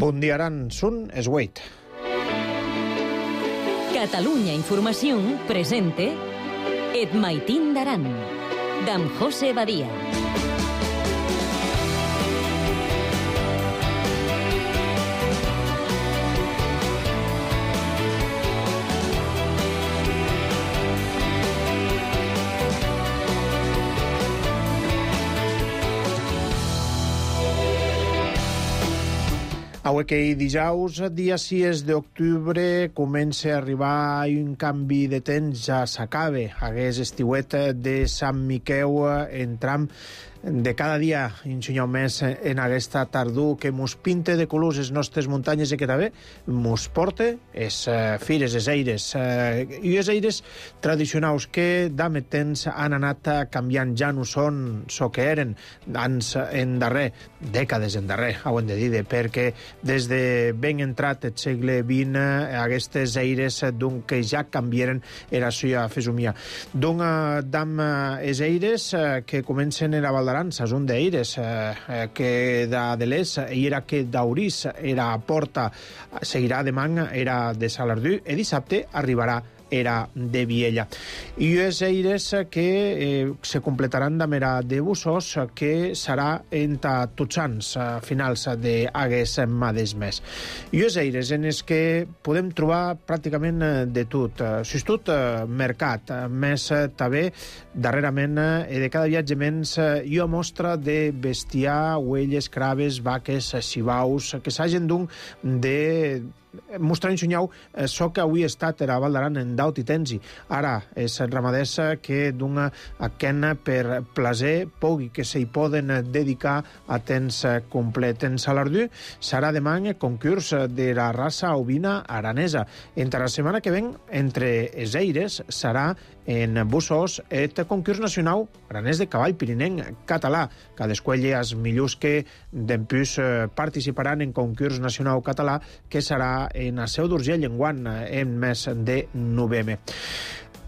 Bon dia, Aran. Sun es Wait. Catalunya Información presente Et Maitín d'Aran, d'en José Badia. Avui que dijous, dia 6 d'octubre, comença a arribar un canvi de temps, ja s'acaba. Hagués estiuet de Sant Miqueu entram de cada dia ensenyau més en aquesta tardor que mos pinte de colors les nostres muntanyes i que també mos porta es fires, es eires. I els eires tradicionals que d'ame temps han anat canviant, ja no són so que eren anys endarrer, dècades endarrer, ho hem de dir, perquè des de ben entrat el segle XX aquestes eires d'un que ja canviaren era suya fesomia. D'un dam es eires que comencen a Val d'Aran, un d'eires que de l'Es era que d'Aurís era a Porta, seguirà demà era de Salardú i dissabte arribarà era de Viella. I els eires que se completaran d'amera de Bussos, que serà entre tots anys, a finals d'aguest mateix mes. I els eires en els que podem trobar pràcticament de tot. Tot mercat, més també darrerament de cada viatge menys i a mostra de bestiar, ovelles, craves, vaques, xivaus, que s'hagin d'un de mostrar ensenyau so que avui ha estat a Val d'Aran en daut i tensi. Ara és ramaders que d'un aquen per plaer pugui que s'hi poden dedicar a temps complet. En Salardú serà demà concurs de la raça ovina aranesa. Entre la setmana que ven, entre els eires, serà en Bussos el concurs nacional aranès de cavall pirinenc català. Cadascuelles millors que d'empús participaran en concurs nacional català que serà en la Seu d'Urgell enguant en mes de novembre.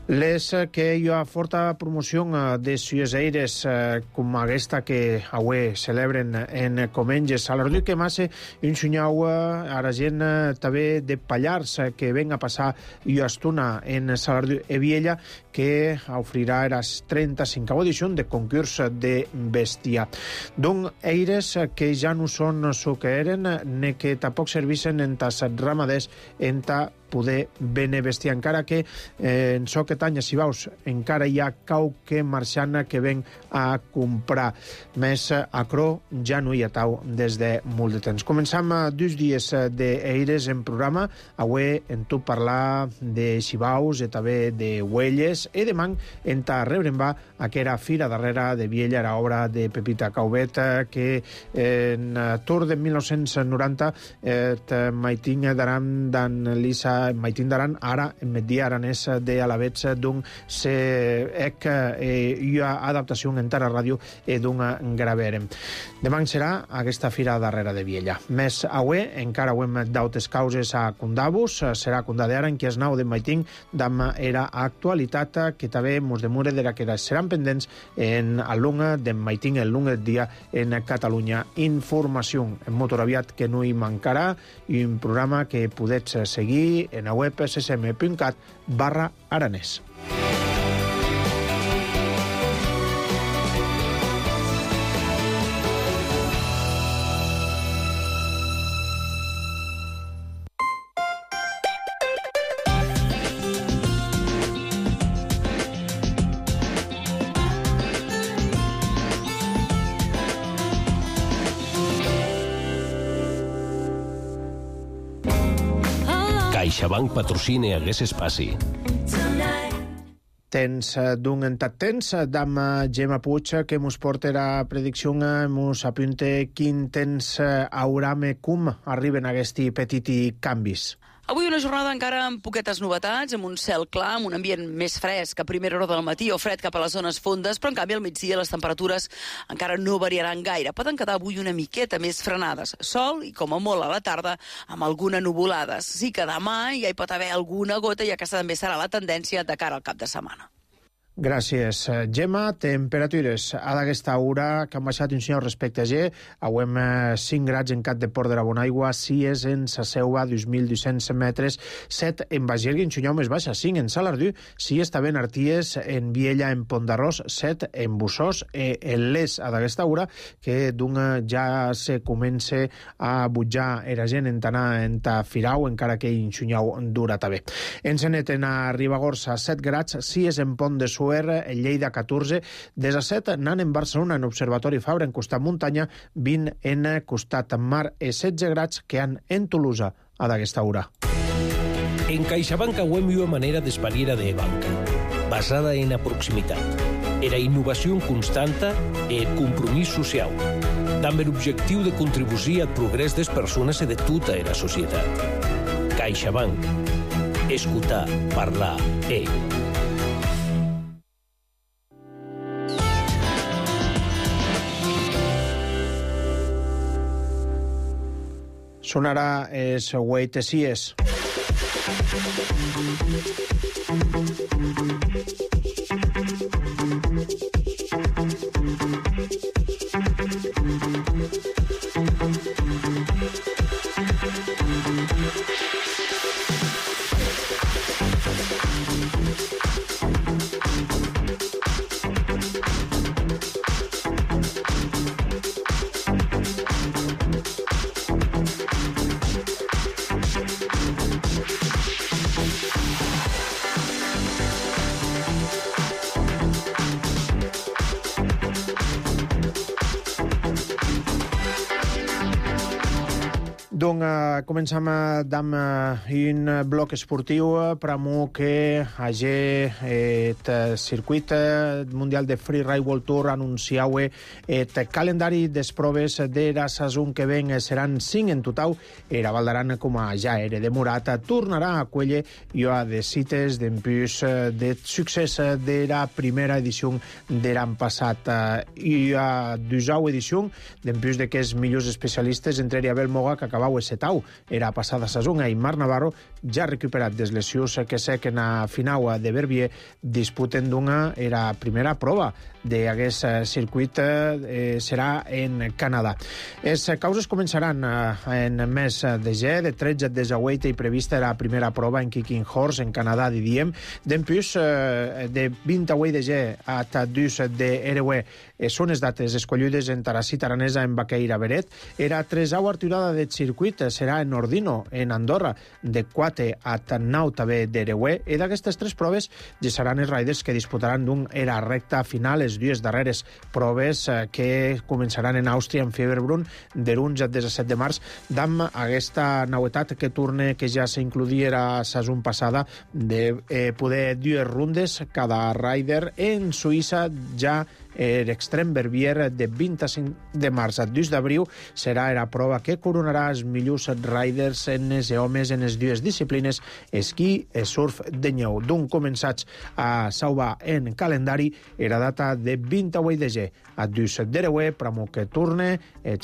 Les que hi ha forta promoció de sues eires com aquesta que avui celebren en Comenges a l'Ardu que massa ensenyau a la gent també de Pallars que ven a passar i estona en Salardú i Viella que ofrirà la 35a edició de concurs de bestiar. Don eires que ja no són el que eren ni que tampoc servissen en tas ramaders en ta poder bene bestiar, encara que en so que tanya, si veus, encara hi ha qualque marxant que ven a comprar. Més a Cro ja no hi ha tau des de molt de temps. Començam 2 dies d'eires en programa. Avui en tu parlar de xivaus i també de huelles i demà en ta rebre'n va aquera fira darrere de Viella, la obra de Pepita Caubet que en tour de 1990 Maitín d'Aran d'en Lisa Maitín d'Aran, ara en Media Aranès de Alavets d'un ec i adaptació en Tara Ràdio i d'un graveren. Demà serà aquesta fira darrere de Viella. Més avui, encara ho hem d'autes causes a Condabus, serà Condadera en qui es nau de Maitín d'am era actualitat que també mos demure de la que seran pendents en el lunga de Maitín el lunga dia en Catalunya Informació. En motor aviat que no hi mancarà i un programa que podets seguir en la web ssm.cat/aranès. CaixaBank patrocina hagués espaci. Tens d'un entat temps d'am Gemma Puig que mos porta la predicció, mos apunte quin temps haurà com arriben aquests petits canvis. Avui una jornada encara amb poquetes novetats, amb un cel clar, amb un ambient més fresc a primera hora del matí o fred cap a les zones fondes, però en canvi al migdia les temperatures encara no variaran gaire. Poden quedar avui una miqueta més frenades. Sol i com a molt a la tarda amb alguna nuvolada. Sí que demà ja hi pot haver alguna gota i aquesta també serà la tendència de cara al cap de setmana. Gràcies, Gemma. Temperatures a d'aquesta hora que han baixat un senyor respecte a G. Avui 5 grads en Cat de Port de la Bonaigua, 6 en Sasseua, 2.200 metres, 7 en Bagergue, en Xunyau més baixa, 5 en Salardú, 6 també en Arties, en Viella, en Pont d'Arròs, 7 en Bussós, en Les a d'aquesta hora, que ja se comença a butjar era gent en tanar en ta Firau, encara que en Xunyau dura també. En Seneten a Ribagorça, 7 grads, 6 en Pont de Suer, en Lleida 14, 17 anant en Barcelona en Observatori Fabra en costat muntanya, 20 en costat mar i 16 grads que han en Tolosa a d'aquesta hora. En CaixaBank auem una manera d'espaliera de banca, basada en la proximitat, era innovació constanta e compromís social, amb l'objectiu de contribuir al progrés des persones i de tota la societat. CaixaBank. Escoltar, parlar, Sonarà es Wait Sies. Donc, començam amb un bloc esportiu pramo que hagi el circuit mundial de Freeride World Tour anunciaue el calendari des proves de la saison que ven seran 5 en total. Era Valdaran, com ja era demorat, tornarà a Cuelle i a de cites d'empús de succés de la primera edició de l'any passat i a 12 edició d'empús de que els millors especialistes, entre Abel Moga, que acabava setau era passada saison, i Marc Navarro, ja recuperat des lesions que sé que en la final de Verbier disputen d'una era primera prova d'aquest circuit serà en Canadà. Les causes començaran en mes de G, de 13 de Zaweite i prevista la primera prova en Kicking Horse, en Canadà, diem. D'empús, de 28 de G a 2 de Erewe són les dates escollides en Tarassit Aranesa, en Baqueira Beret. Era 3a arturada del circuit, serà en Ordino, en Andorra, de 4 a 9 també d'Erewe, i d'aquestes 3 proves ja seran els riders que disputaran d'un era recta final, les dues darreres proves que començaran en Àustria, en Fieberbrunn, de l'11 al 17 de març, amb aquesta novetat que torna, que ja s'includia la saison passada, de poder dues rundes cada rider en Suïssa. Ja l'extrem Verbier de 25 de març a 2 d'abril serà la prova que coronarà els millors riders en els homes en les dues disciplines, esquí i surf de neu. D'un començats a salvar en calendari era data de 28 de G a 2 d'Erewe, pramo que torna el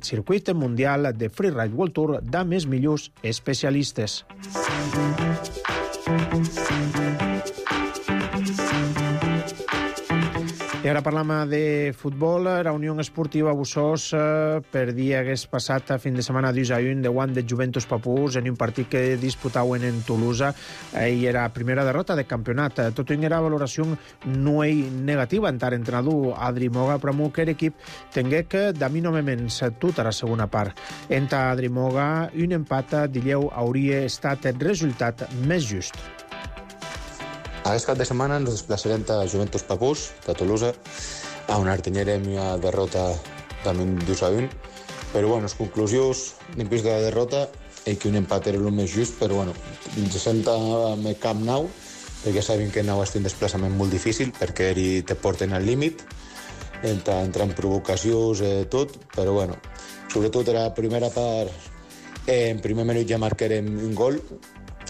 circuit mundial de Freeride World Tour amb els millors especialistes. I ara parlam de futbol. La Unió Esportiva Bussós perdia aquest passat fin de setmana 2-1 davant de Juventus Papús en un partit que disputaven en Tolosa i era primera derrota de campionat. Tot i era valoració no negativa en tant entrenador Adri Moga, però que l'equip tingué que damir només tota la segona part. En Adri Moga, un empat d'Illeu hauria estat el resultat més just. Aquest cap de setmana ens desplaçarem a Juventus Papús, de Tolosa, on artenyerem una derrota també 2-1. Però, les conclusions d'impús de la derrota és que un empat era el més just, però, ens senta amb el Camp Nou, perquè sabem que Nou és un desplaçament molt difícil, perquè te porten al límit, entra en provocacions, tot, però, sobretot era la primera part, en primer minut ja marcarem un gol,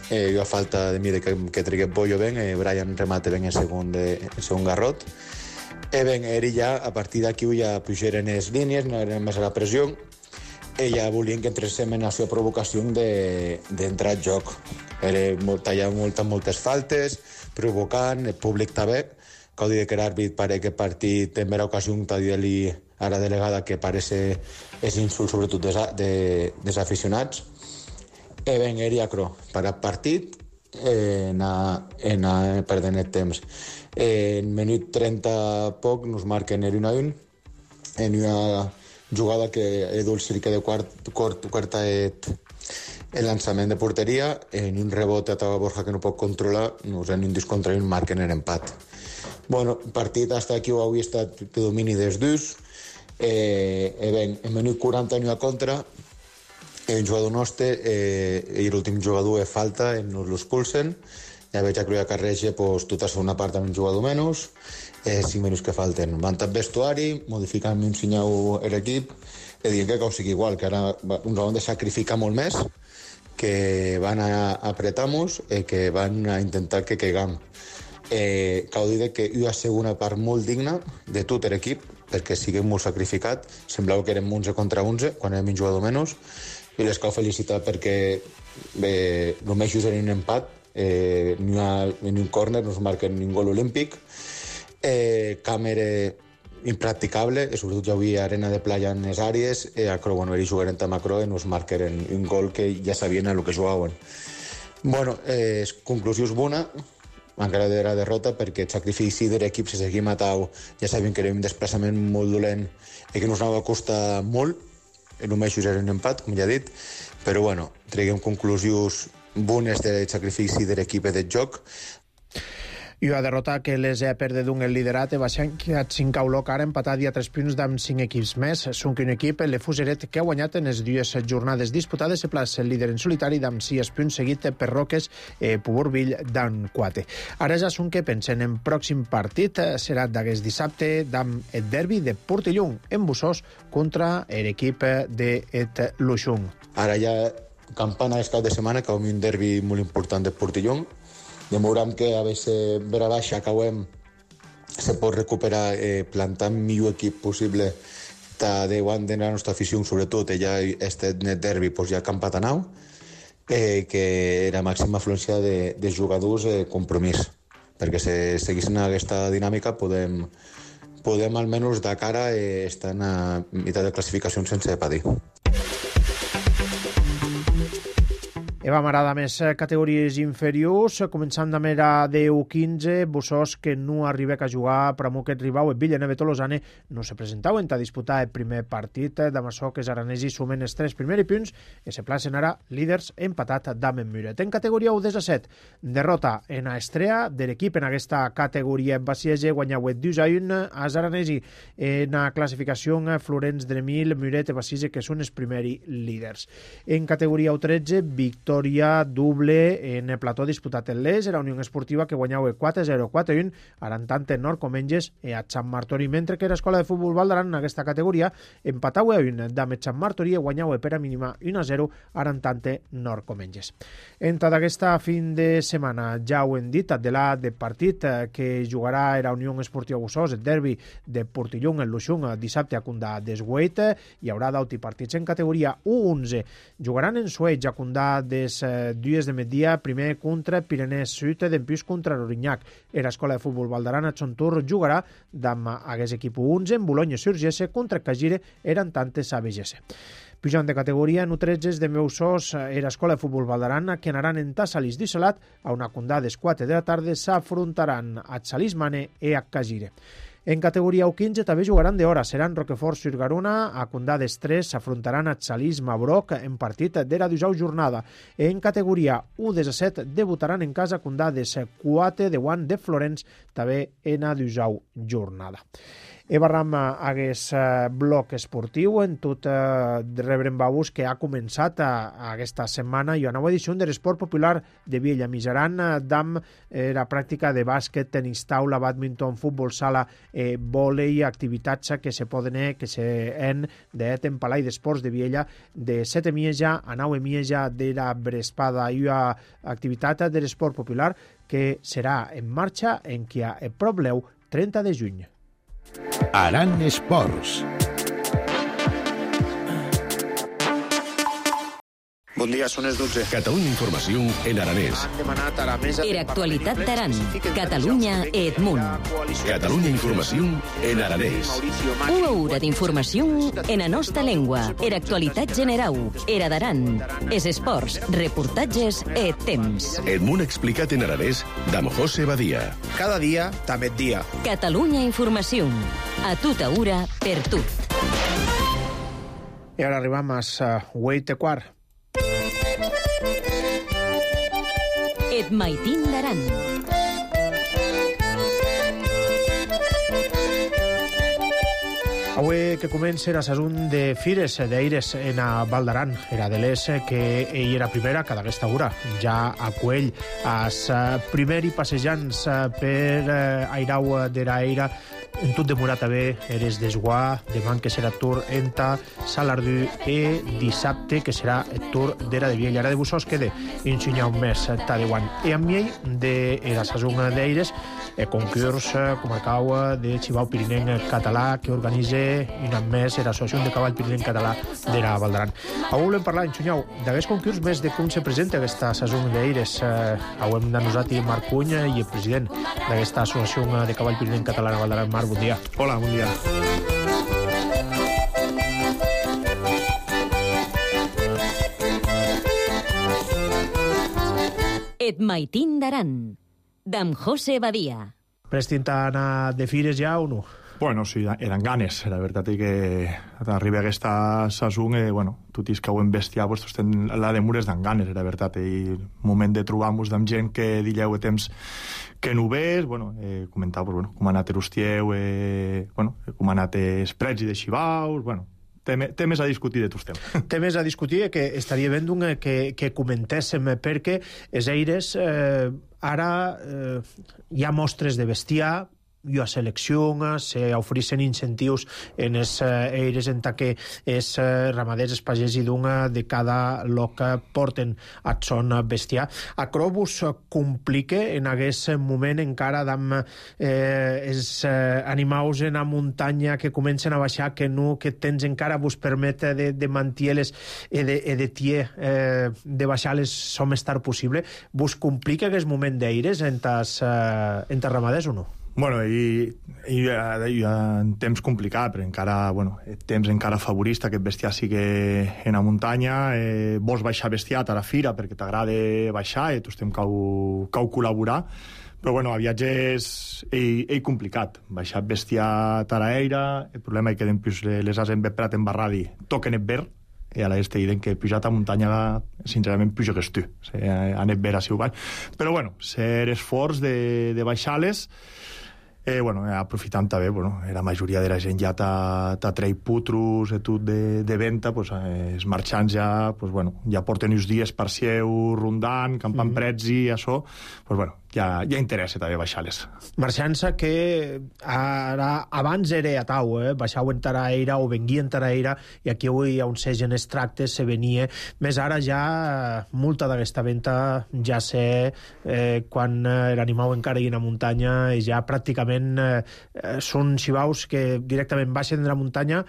a falta de mi que trigué pollo ben, Brian remate ben el segon garrot. Ben, eri ja, a partir d'aquí ja pujaren les línies, no eren més a la pressió, ella volien que entréssim en la seva provocació d'entrar al joc. Talla moltes faltes, provocant, el públic també, que dir que l'àrbit pare que partit en vera ocasió t'ha dit-li a la delegada que parece és insult sobretot dels aficionats. Ben, era cro, per al partit, perdent el temps. En minut 30 poc nos marquen el 1-1 en una jugada que Edu el cirque de quarta el lançament de porteria, en un rebot a Tava Borja que no pot controlar, nos en un discontra i marquen l'empat. Bueno, el partit hasta aquí ho havia estat de domini dels dos. En minut 40 n'hi ha contra, el jugador nostre i l'últim jugador és falta, nos l'expulsen, ja veig que ja carrega tota la segona part amb un jugador menys, 5 minuts que falten. Van tot vestuari, modificant un senyal l'equip, i dient que sigui igual, que ara ens han de sacrificar molt més, que van a apretar-nos i que van a intentar que caiguem. Cal dir que hi ha segona part molt digna de tot l'equip, perquè siguem molt sacrificat, semblava que érem 11 contra 11, quan érem un jugador menys, i les cal felicitar perquè només just en un empat, en un córner no es marca un gol olímpic, camp era impracticable, i sobretot ja havia arena de playa en les àrees, era jugarem a Macro i nos marquen un gol que ja sabien a lo que jugaven. Bueno, conclusió és bona, encara de la derrota, perquè el sacrifici de l'equip se seguia matant, ja sabien que era un desplaçament molt dolent i que nos anava a costar molt, només era un empat, com ja he dit, però bueno, traguem conclusions bones del sacrifici de l'equip del joc. I una derrota que les ha perdut el liderat i baixant que ha 5 a Olot, ara empatat i a 3 punts amb 5 equips més. Són un equip, el Fuseret, que ha guanyat en les 2 jornades disputades, se plaça el líder en solitari amb 6 punts, seguit per Roques, Puburvill d'en 4. Ara ja són que pensen en pròxim partit, serà d'aquest dissabte, amb el derbi de Portellón, en Bussós, contra l'equip de Luxung. Ara ja campana és cap de setmana, que va un derbi molt important de Portellón. Ja veurem que a veure vera baixa acabem se pot recuperar plantant millor equip possible davant de la nostra afició, sobretot ja este net derbi ja campat a nau, que era màxima afluència de jugadors compromís, perquè si seguissin aquesta dinàmica podem almenys de cara estar a meitat de classificació sense patir. Eva Marada, més categories inferiors, començant amb la U15, Bussós, que no arriba a jugar per aquest rival, el Villeneuve Tolosane no se presentaven a disputar el primer partit, amb això que els aranesi sumen els 3 primers punts i se placen ara líders empatat amb en Muret. En categoria U17, derrota en Estrea de l'equip en aquesta categoria en Basiege, guanyau 2-1 als aranesi en la classificació Florenç Dremil, Muret i Basiege, que són els primers líders. En categoria U13, victòria doble en el plató disputat en l'Es, era Unió Esportiva que guanyava 4-0, 4-1, arantant en Nord-Comenges a Sant Martori, mentre que l'Escola de Futbol Valdaran en aquesta categoria empatava a 1 amb Sant Martori i guanyava per a mínima 1-0, arantant Nord-Comenges. Entre d'aquesta fin de setmana, ja ho hem dit, de la de partit que jugarà la Unió Esportiva Bussós, el derbi de Portellón en Luxung, dissabte a Condà d'Esgueit, hi haurà d'auti partits en categoria U11. Jugaran en Sueig a Condà de 2 de migdia, primer contra Pirenès Sud, d'empús contra l'Orinyac. L'Escola de Futbol Valdaran a Xontur jugarà amb aquest equip U11 en Boulogne-sur-Gesse contra Cagire, eren tantes a Begesse. Pujant de categoria, en U13 de Meusós, l'Escola de Futbol Valdaran, que anaran en Tassalis d'Isolat, a una Condà des 4 de la tarda, s'afrontaran a Xalismane i a Cagire. En categoria U15 també jugaran d'hora, seran Roquefort-sur-Garona, a Condà d'Estrès s'afrontaran a Xalís Mabroc en partit de la 12a jornada. En categoria U17 debutaran en casa Condà de 4 de Guant de Florenç, també en la 12a jornada. Barram aquest bloc esportiu, en tot rebrem babús que ha començat aquesta setmana i una nova edició de l'esport popular de Viella Mijaran, amb la pràctica de bàsquet, tenis taula, badminton, futbol sala, vòlei, activitats que se poden que se en d'eten Palai d'Esports de Viella de 7 Mieja a 9 Mieja de la Brespada, i una activitat de l'esport popular que serà en marxa en qui a Probleu 30 de juny. Aran Esports. Bon dia, són les 12. Catalunya Informació en aranès. Han demanat ara més... Era actualitat d'Aran. Catalunya Edmunt. Catalunya Informació en aranès. Una hora d'informació en la nostra llengua. Era actualitat general. Era d'Aran. Es esports, reportatges e temps. Edmunt explicat en aranès d'Am José Badia. Cada dia, també dia. Catalunya Informació. A tota hora, per tot. I ara arribam a 8:15. Et maitin d'Aran. Avui que comença la sason de fires d'aires en a Val d'Aran. Era de l'ES que ell era primera cada aquesta hora. Ja a Cuell, as primer i passejants per Airau d'era Eira, en tot demorat a bé, eres d'Esguà, demà que serà Tour enta Salardú i dissabte que serà el Tour d'era de Viella. Ara de Bussós queda ensenyar un mes Tadewan. I amb ell de la sason d'aires, concurs comarcau de Xivau Pirinenc Català que organitza un any més l'Associació de Cavall Pirinenc Català d'era Val d'Aran. Avui volem parlar, ensenyau, d'aquests concurs més de com se presenta aquesta sason d'aires. Avui hem d'anosat Marc Puny i el president d'aquesta Associació de Cavall Pirinenc Català de Val d'Aran. Marc, bon dia. Hola, bon dia. Et maitin d'Aran. D'Am José Badia. Prestin a anar de fires ja o no? Bueno, sí, eren ganes. La veritat és que arriba aquesta sason, tot i que ho hem bestiat, pues, la de mures d'en ganes, la veritat. I el moment de trobar-nos amb gent que dileu de temps que no ho ves, comentar com ha anat l'Ustieu, com ha anat els prets i de Xivaus, temes a discutir de tots temes. Temes a discutir que estaria bé que comentéssim, perquè els aires ara hi ha mostres de bestiar, hi ha seleccions, s'ofereixen incentius en els aires en que els ramaders, els pagès i d'una de cada lloc porten a son bestiar. A Crobus complica en aquest moment encara amb els animals en la muntanya que comencen a baixar, que tens encara vos permet de mantier-les i de tier de baixar-les som estar possible. Vos complica aquest moment d'aires entre ramaders o no? Bueno, hi ha un temps complicat, però encara, temps encara favorista que el bestiar sigui en la muntanya. Vols baixar bestiat a la fira perquè t'agrada baixar i tu estem cau col·laborar, però a viatges és complicat. Baixar bestiat a l'aire, el problema és que les has emprat en barradi, toquen el verd, i a l'est diuen que pujat a muntanya sincerament puja que tu, ha anat ver a si ho baix. Però ser esforç de baixar-les, aprofitant també, la majoria de la gent ja t'ha tret putros i tot de venda, els marxants ja porten uns dies per seu rondant, campant prets i això, ja interessa també baixar-les. Marxants que abans era a Tau, baixau en Taraire o venguia en Taraire, i aquí avui on segen els tractes se venia, més ara ja molta d'aquesta venda ja sé quan l'animal encara hi ha a muntanya i ja pràcticament són xivaus que directament baixen de la muntanya,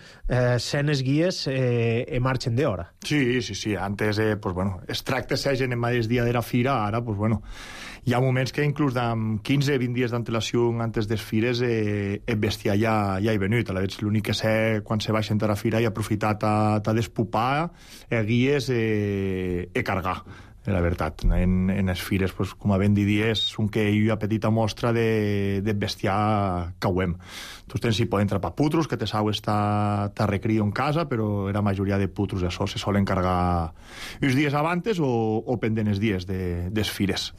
sent els guies i marxen d'hora. Sí. Antes, els tractes segen en mateix dia de la fira, ara, hi ha moments que inclús amb 15-20 dies d'antelació antes des fires el bestiar ja hi venut. L'únic que sé quan se baixen a la fira i aprofitat a despupar guies i cargar. La veritat, en les fires, com a ben dies, són que hi ha petita mostra de bestiar cauem. Tu tens si poden trapar putros, que te sau te recrio en casa, però la majoria de putros això se solen cargar uns dies abans o pendent els dies des fires.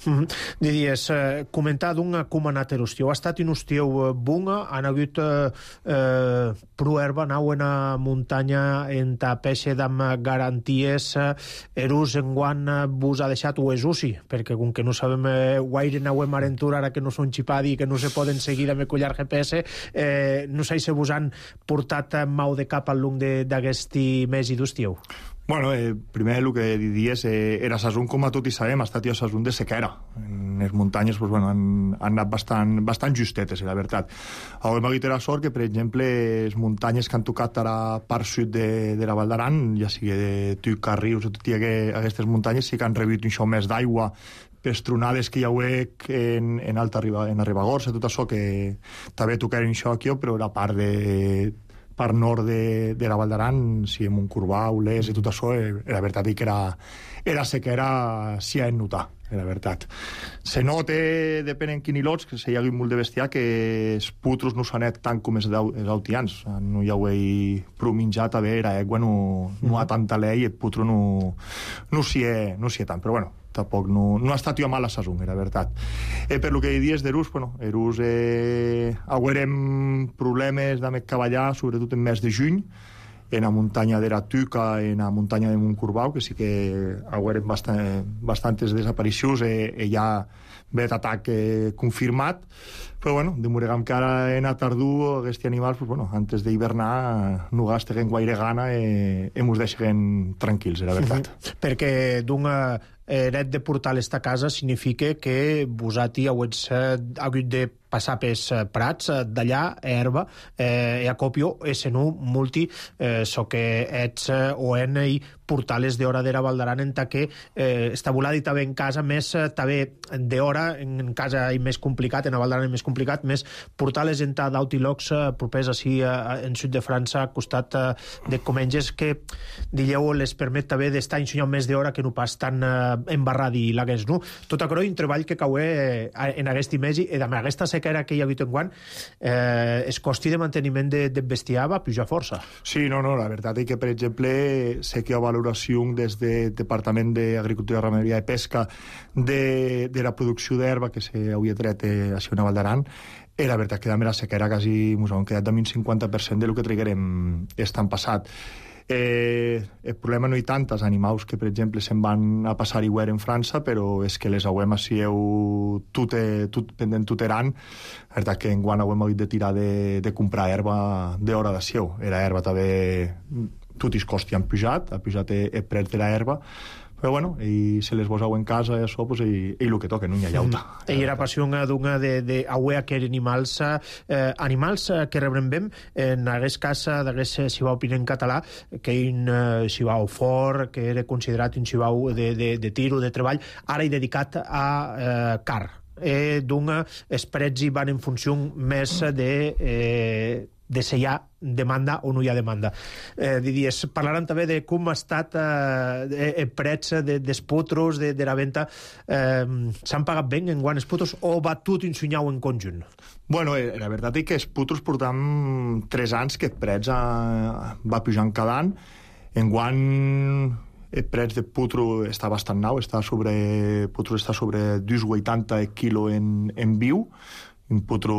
Diries, comentar com ha anat l'Ustieu. Ha estat un Ustieu bunga, han hagut prou herba, anau en la muntanya en ta peixe d'amb garanties, erús en guant vos ha deixat o és UCI, perquè com que no sabem guaire anauem a aventura ara que no són xipadi i que no se poden seguir amb el collar GPS, no sé si vos han portat mau de cap al long d'aquest mes i d'Ustieu. Bueno, primer el que diries era Sasun, com a tot i sabem, ha estat ja Sasun de sequera. En les muntanyes pues, bueno, han anat bastant justetes, la veritat. Avui m'ha dit la sort que, per exemple, les muntanyes que han tocat a la part sud de la Val d'Aran, ja sigui de Tuca, Rius, o tot i aquestes muntanyes, sí que han rebut un xou més d'aigua per tronades que hi hauec en Ribagorça, tot això que també tocaren això aquí, però la part nord de la Val d'Aran, si en Montcorbau, Les i tot això, la veritat que era sequera s'hi ha de notar, la veritat. Se nota, depèn en quin ilots, que se hi hagi molt de bestiar, que els putros no s'han anat tant com els autians. No hi hauei prou menjat, a veure, l'aigua no ha tanta lei, el putro no s'hi ha tant, però bueno, tampoc no ha estat jo mal a Sasun, la veritat. Per lo que dius d'Erús, bueno, Erús haurem problemes de cavallar, sobretot en mes de juny, en la muntanya de la Tuca, en la muntanya de Montcorbau, que sí que haurem bastantes desaparicions, hi ha vet atac confirmat, però bueno, demoregam que ara en a tardú aquests animals, pues, bueno, antes d'hivernar no gasteguen gaire gana i mos deixen tranquils, la veritat. Perquè d'un eret de portar esta casa significa que vosati heu hagut de passar pels prats d'allà, herba, a copio, se no multi, so que ets o en i portales d'hora d'era Val d'Aran en ta que està volada i també en casa més també d'hora, en casa i més complicat, en a Val d'Aran més complicat, més portales en ta d'Autilox propers així en sud de França, al costat de Comenges, que digueu les permet també d'estar ensenyant més d'hora que no pas tan embarrat i lagués, no? Tot aquell un treball que caué en aquest mes i amb aquesta sequera que hi ha hagut en guant, el costi de manteniment de bestiar va pujar força. Sí, no, la veritat és que, per exemple, sé que hi ha valoració des del Departament d'Agricultura, Ramaderia i Pesca de la producció d'herba que s'havia tret a la Val d'Aran. La veritat que la sequera quasi ens han quedat amb un 50% del que traguerem estan passat. El problema no hi tant els animals que, per exemple, se'n van a passar hivern en França, però és que les hauem així pendent tuteran. La veritat que enguany hauem hagut de tirar de comprar herba d'hora d'ació. Era herba també, tot els costi han pujat, ha pujat el preu de l'herba, però bueno, i se les poseu en casa i això, pues, i el que toca, no hi ha llauta. I era passió d'una d'auer aquells animals que rebrem en aquest cas d'aquest xivau pinent català, que un xivau fort, que era considerat un xivau de tiro, de treball, ara hi dedicat a car. D'un esperets hi van en funció més de si hi ha demanda o no hi ha demanda. Diries, parlaran també de com ha estat el prets dels potros, de la venda. S'han pagat bé en guant els potros o va tot ensenyau en conjunt? Bueno, la veritat és que els potros portam 3 anys que el prets va pujant cada any. En guant el preu de potro està bastant nou, potro està sobre 2,80 el quilo en viu. Un potro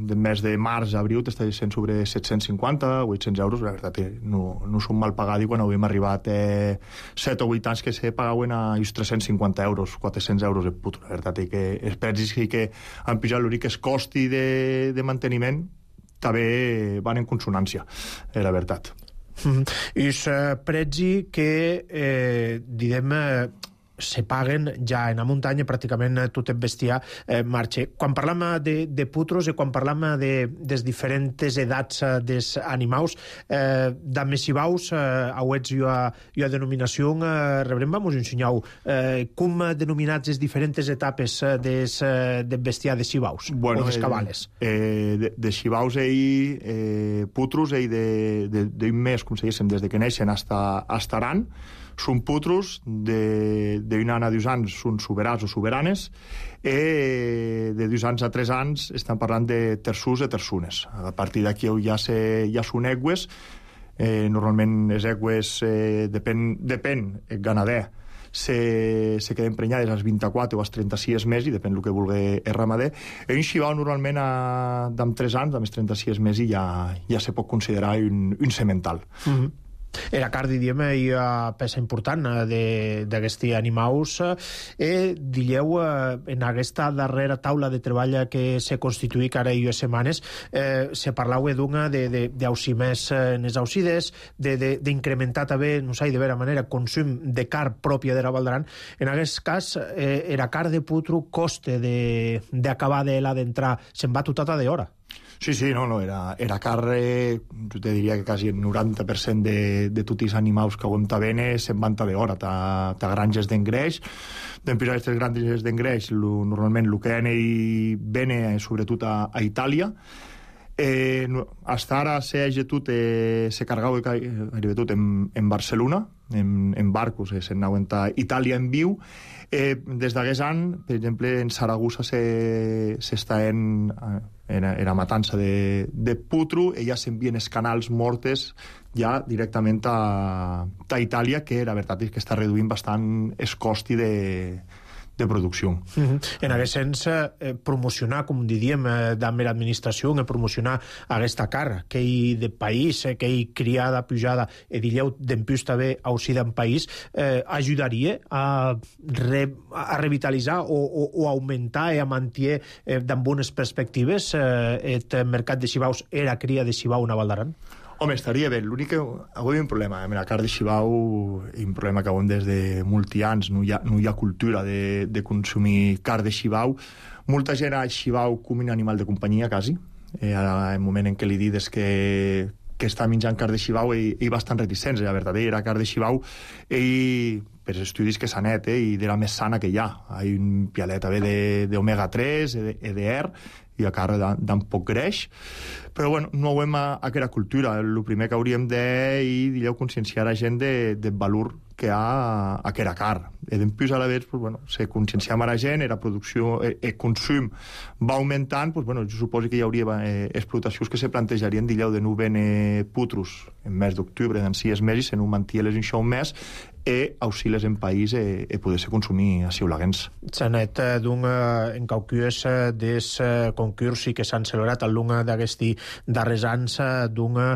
del mes de març a abril t'està sent sobre 750, 800 euros. La veritat no són mal pagats, i quan havíem arribat 7 o 8 anys que se pagaven a 350 euros, 400 euros el potro. La veritat és que els precis que han pujat, l'únic que es costi de manteniment també van en consonància, la veritat. I els precis que, diguem, se paguen ja en la muntanya, pràcticament tot el bestiar marxa. Quan parlam de putros i quan parlam de diferents edats dels animals, d'amessibaus, auets jo a denominació, rebrem, vamos ensenyar com denominats les diferents etapes del bestiar de xibaus, o dels cabales. De xibaus putros d'un mes, com se diguéssim, des que neixen hasta aran. Són putros d'un any a 2 anys, són soberans o soberanes, i de 2 anys a 3 anys estan parlant de terçús i terçunes. A partir d'aquí ja són egües. Normalment les egües, depèn el ganader, se queden prenyades als 24 o als 36 mesos, i depèn del que vulgui el ramader. Un xivau normalment amb 3 anys, amb els 36 mesos, ja se pot considerar un semental. Era carn, diríem, hi ha peça important d'aquests animals. Dilleu, en aquesta darrera taula de treball que se constituïc ara i setmanes, se parlau d'una d'aucimers en les aucides, d'incrementar també, no sé, de vera manera, consum de carn pròpia de la Val d'Aran. En aquest cas, era carn de putru coste d'acabar d'entrar, se'n va tota d'hora. Sí, no, era carn, jo te diria que quasi el 90% de tots els animals que aguanta bene se'n van d'hora, ta granges d'engreix. Després aquestes granges d'engreix, normalment el que hi bene, sobretot a Itàlia. Hasta ara se cargava gairebé tot en Barcelona, en barcos, se'n anaven a Itàlia en viu. Des d'aquest any, per exemple, en Saragossa s'està era matança de putru, i ja s'envien els canals mortes ja directament a Itàlia, que la veritat és que està reduint bastant el costi de producció. En aquest sens, promocionar, com diríem, d'amber administració, promocionar aquesta carn, que hi de país, que hi criada, pujada, dilleu d'empús també aucida en país, ajudaria a revitalitzar o augmentar i a mantenir d'en bones perspectives el mercat de xivaus, era cria de xivau a Val d'Aran? Home, estaria bé. L'únic que avui hi ha un problema. Amb la carn de xivau hi ha un problema que avui des de molts anys no hi ha cultura de consumir carn de xivau. Molta gent a xivau com un animal de companyia, quasi. Al moment en què li dius que està menjant carn de xivau, ell bastant reticents. La veritat, era carn de xivau, ell, per estudis que s'ha net, i era més sana que hi ha. Hi ha un pialet d'omega 3, EDR, i a carn d'un poc greix, però bueno, no ho hem a aquella cultura. El primer que hauríem de conscienciar la gent del valor que hi ha a aquella carn. I després a la vegada, pues, bueno, se conscienciam a la gent, la producció, el consum va augmentant, pues, bueno, jo suposo que hi hauria explotacions que se plantejarien de no vene putrus en mes d'octubre, d'en 6 mesos, se no mantia-les en un mes, i auxiles en país i poder-se consumir a Ciulaguens. S'ha net en caucues des concursi que s'han celebrat a l'una d'aquesti darrers anys d'una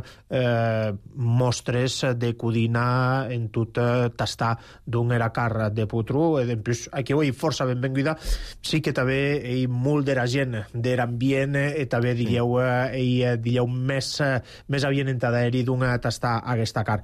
mostres de cuina en tot tastar d'una era carn de putru. Aquí ho hi força benvinguda. Sí que també hi molt de la gent de l'ambient i també diríeu més havien entaderi d'una tastar aquesta carn.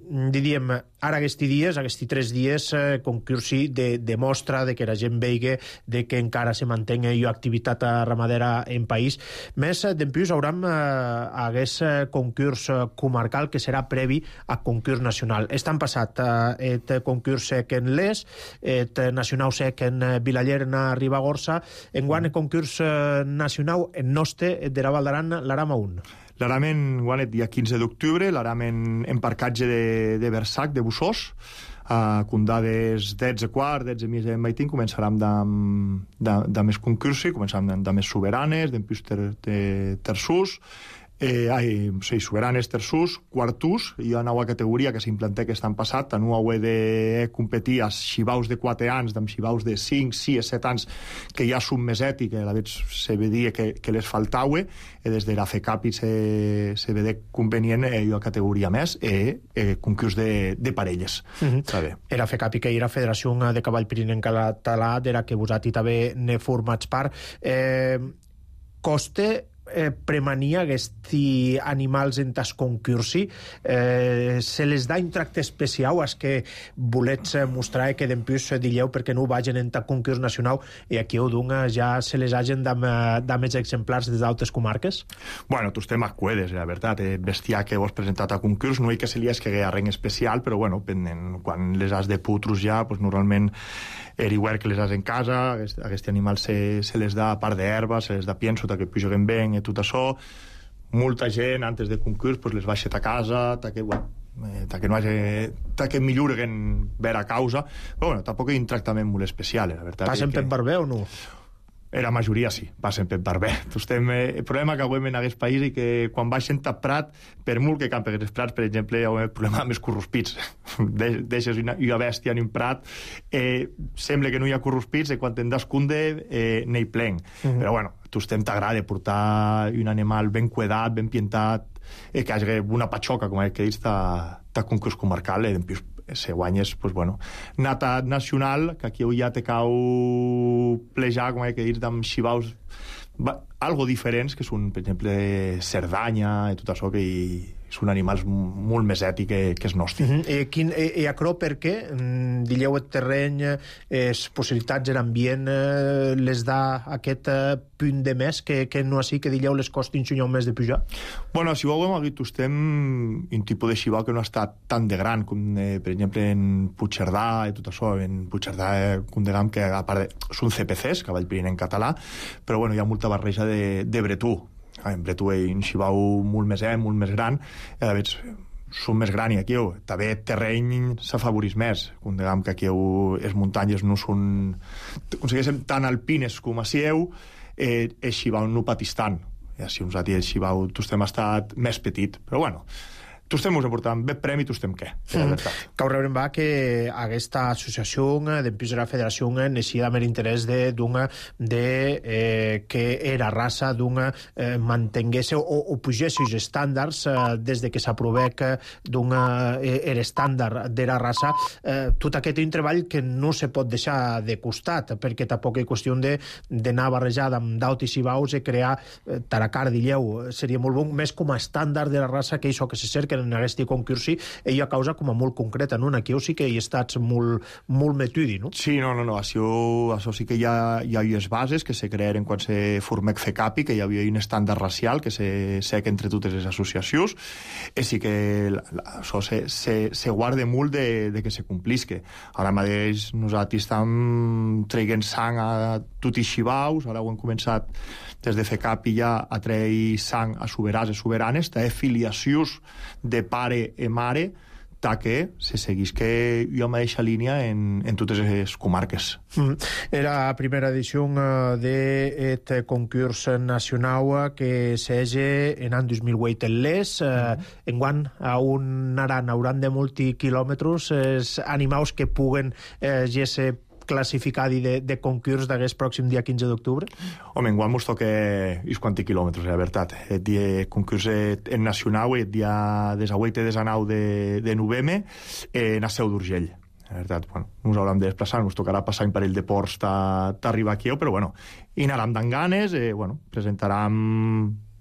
Diríem, ara aquests 3 dies, concursi de mostra de que la gent vegi de que encara se mantenga activitat ramadera en país. Més d'empús hauram aquest concurs comarcal que serà previ a concurs nacional. Estan passat el concurs sec en Les, el nacional sec en Vilaller, en Ribagorça, enguany el concurs nacional en Noste de la Val d'Aran, l'Aram a 1. L'Aram en guanet dia 15 d'octubre, l'Aram en parcatge de Versac, de Bussós, a condades 10:15, 10:30 en Maitín, començarem més concursi, començarem de més soberanes, d'empús terçús, soberanes, terçús, quartús, hi ha una nova categoria que s'implanté aquest any passat, no heu de competir a xivaus de 4 anys, amb xivaus de 5, 6, 7 anys, que ja són més ètic, a la vegada se vedia que les faltava, i des de la FECAPI se vedia convenient una categoria més, concurs de parelles. Era FECAPI, que era Federació de Cavall Pirinenc Català, de la que vosaltres també ne formats part. Coste premania aquests animals en tas concursi, se les da un tracte especial als que volets mostrar que d'empús dilleu perquè no vagin en tas concurs nacional i aquí ho dunga ja se les hagin de més exemplars des d'altres comarques? Bueno, tus temes cuedes, la veritat. Bestiar que vos presentat a concurs, no hi que se li escague a res especial, però bueno, quan les has de putrus ja, pues normalment igual que les has en casa, aquest animal se les da a part d'herba, se les da pienso, que puguen ben i tot això. Molta gent, antes de concurs, pues les baixa a casa, que millorguen vera causa, però bueno, tampoc hi ha un tractament molt especial, la veritat. Passen per barber o no? La majoria sí, passen per barber. El problema que avui en aquest país és que quan baixen a Prat, per molt que campen els prats, per exemple, hi ha un problema amb els corrospits. Deixes una bèstia en un prat, sembla que no hi ha corrospits, i quan te'n descunde n'hi plen. Però bueno, t'agrada portar un animal ben cuidat, ben pintat, que hi hagi una patxoca, com que dius, de concurs comarcal, en plus, se guanyes, pues, bueno, nata nacional, que aquí ja te cau plejar, com que dius, amb xivaus algo diferents, que són, per exemple, Cerdanya i tot això, que són animals molt més ètics que els nostres. I acrò per què? Dilleu el terreny, les possibilitats, l'ambient, les da aquest punt de més que no així, que dilleu les costin un més de pujar? Bueno, si ho hem dit, estem un tipus de xivau que no ha estat tan de gran com, per exemple, en Puigcerdà i tot això. En Puigcerdà, com diguem, que a part són CPCs, cavall pirineu en català, però bueno, hi ha molta barreja de bretú. En bretú hi ha un xivau molt més gran, a veure, són més gran i aquí també terreny s'afavorís més, com diguem que aquí les muntanyes no són, aconsegueixen tan alpines com a sieu, el xivau no patís tant, i així uns altres el xivau tu estem estat més petit, però bueno, tu estem us aportant bé premi, tu estem què? Cau rebrem va que aquesta associació dempús de la federació neixia amb l'interès que era raça mantengués o pugés els estàndards des de que s'aprovec l'estàndard de la raça, tot aquest un treball que no se pot deixar de costat, perquè tampoc és qüestió d'anar barrejat amb d'autis i baus i crear taracar, dilleu, seria molt bon, més com a estàndard de la raça que això que se cerca en aquest concurs, ell a causa com a molt concreta, no? Aquí sí que hi estats molt metudi, no? Sí, no, això sí que hi ha les bases que se crearen quan se formec FECAPI, que hi havia un estàndard racial que se sec entre totes les associacions, i sí que això se guarda molt de que se complisque. Ara mateix nosaltres estem traient sang a tots els xivaus, ara ho hem començat des de FECAPI ja a treure sang a soberans i soberanes, de filiacions de pare i mare, que se seguís que hi ha mateixa línia en totes les comarques. Era la primera edició d'aquest concurs nacional que s'hege en l'any 2008 en l'ES. Enguany, on hauran de multiquilòmetres els animals que puguen ser classificadi de concurs d'aquest pròxim dia 15 d'octubre? Home, enguany mos toca uns quants quilòmetres, la veritat. El dia concurs en nacional, el dia 18 i 19 de novembre, en la Seu d'Urgell. La veritat, bueno, ens haurem de desplaçar, ens tocarà passar un parell de ports d'arribar aquí, però bueno, hi anàrem d'en ganes, bueno,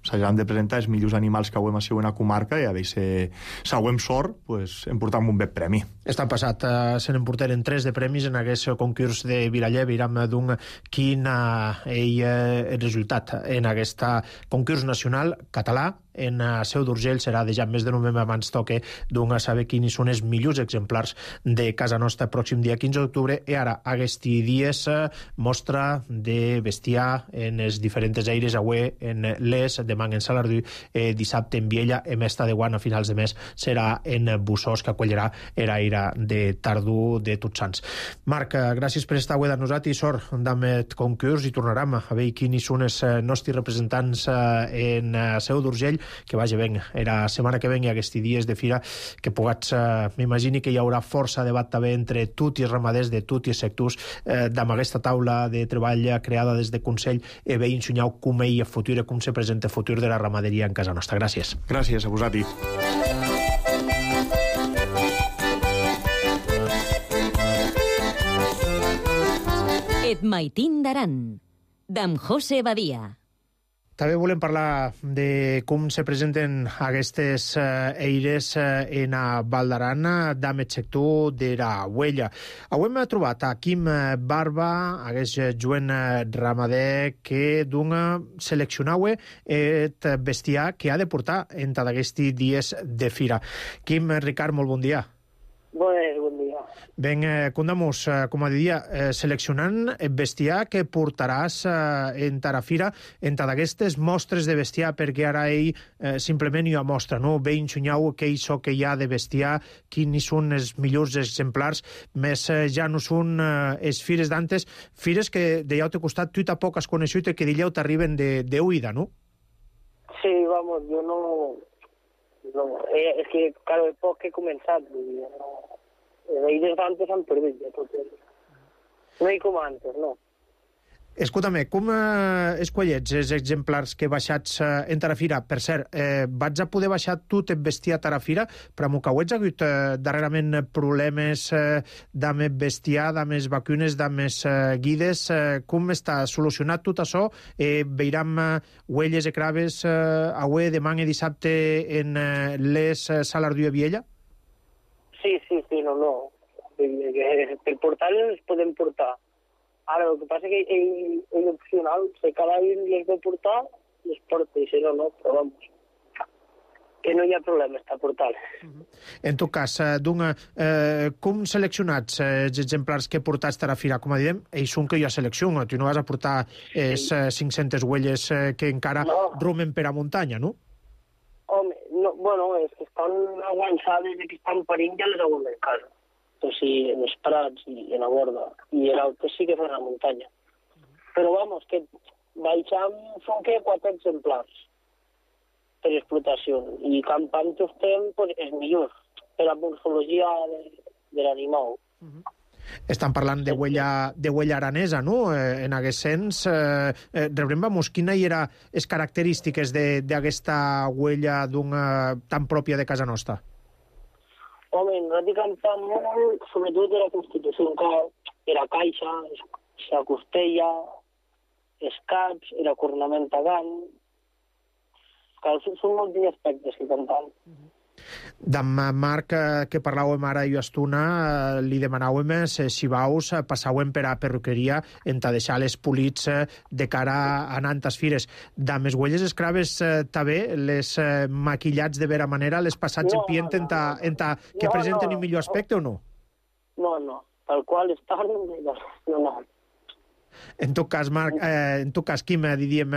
s'hauran de presentar els millors animals que hauem sigut en la comarca i a veure si hauem sort, pues, em portam un bé premi. Estan passat, se n'emportaren 3 de premis en aquest concurs de Vilaller. Viram quin el resultat en aquest concurs nacional català. En Seu d'Urgell serà de ja més de novembre, abans toque saber quins són els millors exemplars de casa nostra pròxim dia 15 d'octubre, i ara aquests dies mostra de bestiar en els diferents aires, avui en l'Es, demà en Salardú, dissabte en Viella, i més de Guant a finals de mes serà en Bussós, que acollirà l'aire de tardor de Tots Sants. Marc, gràcies per estar avui de nosaltres i sort d'aquest concurs, i tornarem a veure quins són els nostres representants en Seu d'Urgell. Que vagi ben, era setmana que ven i aquests dies de fira que pugats, m'imagini que hi haurà força debat també entre tots els ramaders de tots els sectors amb aquesta taula de treball creada des de Consell, i veient soñau com ell el futur i com se presenta el futur de la ramaderia en casa nostra. Gràcies. Gràcies a vosaltres. Et maitín d'Aran, d'en José Badia. També volem parlar de com se presenten aquestes eires en a Val d'Aran d'Amet sector de la Huella. Avui hem trobat a Quim Barba, aquest jovent ramader que seleccionau el bestiar que ha de portar entre aquests dies de fira. Quim, Ricard, molt bon dia. Bon dia. Ben, condamos, com a dia, seleccionant el bestiar que portaràs en la fira, entre aquestes mostres de bestiar, perquè ara ell simplement hi ha mostra, no? Ve ensenyau què que hi ha de bestiar, quins són els millors exemplars, més ja no són les fires d'antes, fires que de llaute costat tu tampoc has coneixut i que de llaute t'arriben de huida, no? Sí, vamos, yo no es que, claro, es poc que he començat, els eires d'antes han perdut ja tot. No hi com antes, no. Escolta'm, com escollets els exemplars que baixats en Tarafira? Per cert, vaig a poder baixar tot el bestiar a Tarafira, però m'ho cauets ha hagut darrerament problemes d'amb bestiar, d'amb vacunes, d'amb guides. Com està solucionat tot això? Veiram huelles i craves avui, demà i dissabte en les Salardú i Viella? Sí, no. Per portar-les els podem portar. Ara, el que passa és que ell opcional, si cada any les vol portar, les porta, i si no, però vamos. Que no hi ha problema, està portant. En tot cas, com seleccionats els exemplars que portats a la fira? Com diem, ells són que hi ha selecció, tu no vas a portar 500 huelles que encara romen per a muntanya, no? Home, no, bueno, és que estan avançades i que estan parint ja les hauen en casa. O sigui, en els prats i en la borda. I en altres sí que fan a la muntanya. Però, vamos, que baixam són que 4 exemplars per explotació. I campant estem, pues, és millor per la morfologia de l'animal. Estan parlant de huella aranesa, no? En aquest sens, rebrem, vamos, quina hi era les característiques d'aquesta huella tan pròpia de casa nostra? Home, nosaltres campam molt, sobretot de la Constitució, que era caixa, la costella, els caps, la cornamenta gant. Són molts aspectes que campam. D'en Marc, que parlàvem ara i estona, li demanàvem si vaus passàvem per a perruqueria en ta deixar les polits de cara a nantes fires. D'en les huelles escraves també, les maquillats de vera manera, les passats en pient que presenten un millor aspecte o no? No, tal qual estan, no. En tot cas, Marc, Quim, diríem,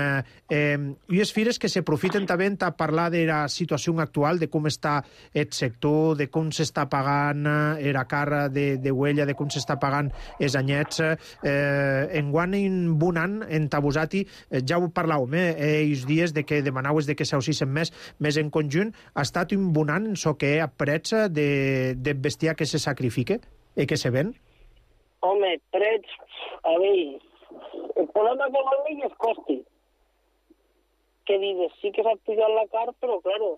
unes fires que s'aprofiten també a parlar de la situació actual, de com està el sector, de com s'està pagant la cara de huella, de com s'està pagant els anyets. Enguany, en un any, en Tabusati, ja ho parlàvem, els dies de que demanàveu de que s'aussissin més en conjunt, ha estat un bon any en que hi ha prets de bestiar que se sacrifica i que se ven? Home, prets, a veure, el problema que vol dir és costi. Que dius, sí que s'ha pujat la car, però, claro,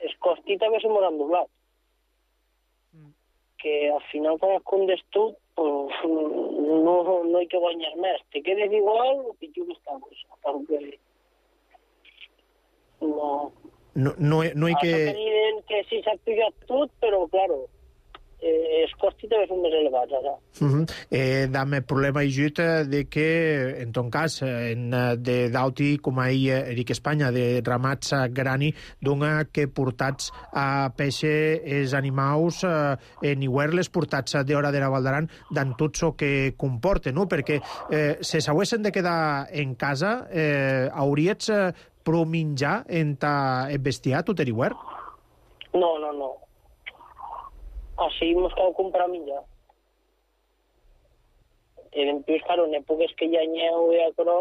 els costi també se m'ho han doblat. Que al final, quan has condes tot, pues, no hi que guanyar més. Te quedes igual o pitjor que estamos. Perquè no hi que... Diuen que sí s'ha pujat tot, però, claro, els costos també són més elevats, ara. Dame problema ajut de que, en ton cas, d'auti, com ahir Eric Espanya, de ramats grani, dona que portats a peixe els animals en iguerles portats d'hora de la Valdaran, d'en tot el que comporta, no? Perquè si s'haguessin de quedar en casa, hauries prou menjar en el bestiar, tot igual? No. Així mos cal comprar menjar. I després, claro, en èpoques que hi ha nyeu i acrò,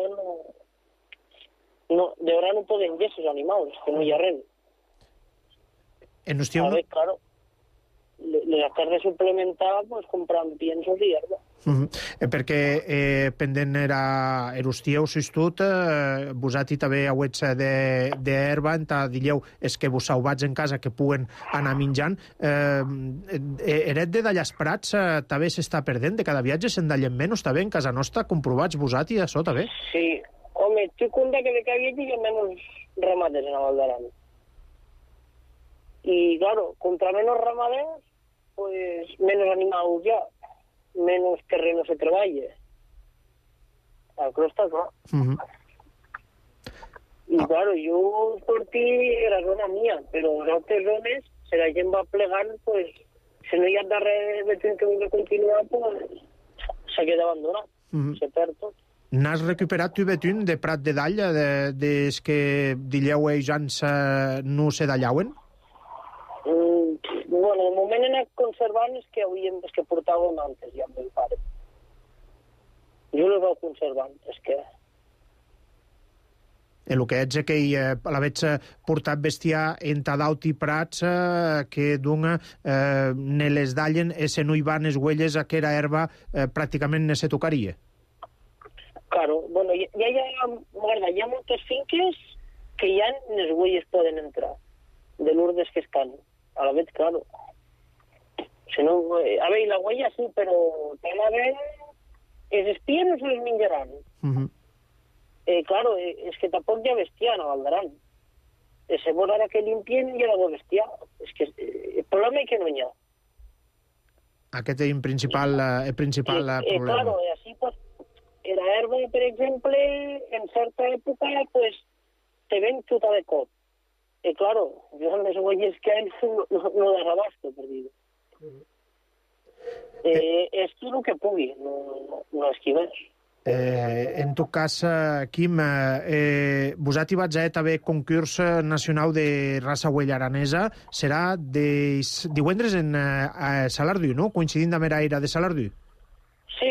de hora no poden llevar els animals, que no hi ha res. En hostiu... A veure, claro, les has de suplementar pues, comprant piensos i herba. Perquè pendent era hostiu, si tot, vosati també hauets d'herba, dilleu, és que vos sauvats en casa que puguen anar menjant. Eret de d'allàs prats també s'està perdent, de cada viatge se'n d'allem menys, també en casa nostra, comprovats vosati, això també? Sí, home, estic compte que de cada viatge hi ha menys ramaders en la Valdaran. I, claro, contra menys ramaders, pues menos animals ja. Menos terreno se treballa. Això està clar. I, claro, jo sortí a la zona mia, però en altres zones, si la gent va plegant, pues, si no hi ha darrere de que vulgui continuar, pues, s'ha quedat abandonat. Se perd tot. N'has recuperat tu, Betún, de Prat de Dall, des que dilleu ells ans no se dallauen? Bueno, de moment he anat conservant els que portàvem antes, ja amb el pare. Jo les vau conservant, és que... El que ets que l'haveig portat bestiar en Tadaut i Prats que dona ne les dallen i se no hi van les huelles a que era herba pràcticament ne se tocaria. Claro, bueno, hi ha moltes finques que ja les huelles poden entrar, de l'urdes que estan. A la vez, claro. Si no, a veure, la huella sí, però tant a veure, els espies no se les menjaran. Claro, és que tampoc hi ha bestiar a Val d'Aran. Segons ara que limpien hi ha d'haver bestiar. És que el problema és que no hi ha. Aquest és el principal problema. Claro, així pues, la herba, per exemple, en certa època, pues, te ven xuta de cop. Claro, jo amb les huelles que hay no desabasto, per dir-ho. És tot el que pugui, no esquives. En tot cas, Quim, vosaltres vaig a també concurs nacional de raça huella aranesa. Serà divendres en Salardú, no? Coincidint amb l'era de Salardú. Sí,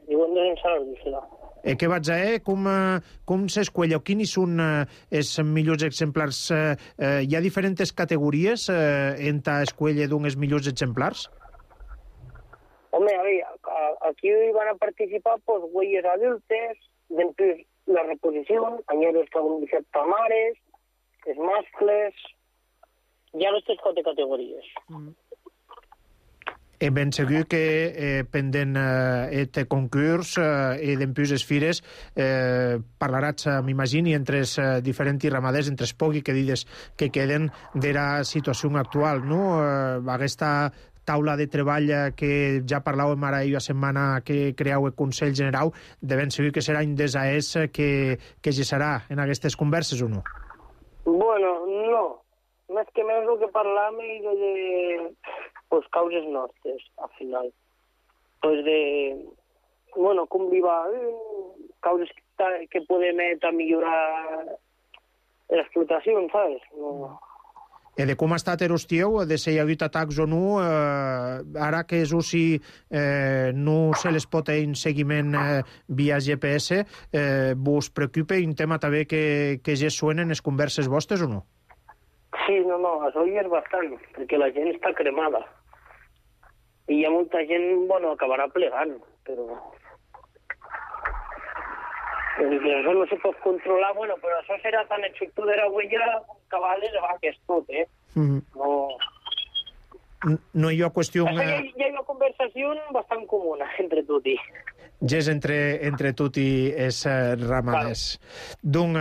divendres en Salardú serà. Què vaig a com s'escuella? Quins són els millors exemplars? Hi ha diferents categories en l'escuella d'uns millors exemplars? Home, a veure, aquí van a participar pues, huelles adultes, després la reposició, anyeros que han deixat tamares, els mascles, hi ha les 4 categories. Ben segur que pendent aquest concurs i d'empús les fires parlaràs, m'imagini, entre els diferents ramaders, entre els pocs que dides que queden de la situació actual, no? Aquesta taula de treball que ja parlàvem ara la setmana que creau el Consell General, de ben segur que serà un desaès que gestarà en aquestes converses o no? Bueno, no. Més que més el que parlàvem de pues, causes nostres, al final. Pues de, bueno, com viva, causes que podem millorar l'explotació, ¿sabes? No. De com ha estat l'estieu, de si hi ha hagut atacs o no, ara que és UCI no se les pot fer un seguiment via GPS, vos preocupa un tema també que ja suenen les converses vostres o no? Sí, no, això hi és bastant, perquè la gent està cremada. I hi ha molta gent, bueno, acabarà plegant, però... Això no se pot controlar, bueno, però això serà tan efectiu de la huella cabales de vaques tot, No hi ha qüestió... Hi ha una conversació bastant comuna entre tot i... Ja és entre tot i els ramaders. D'un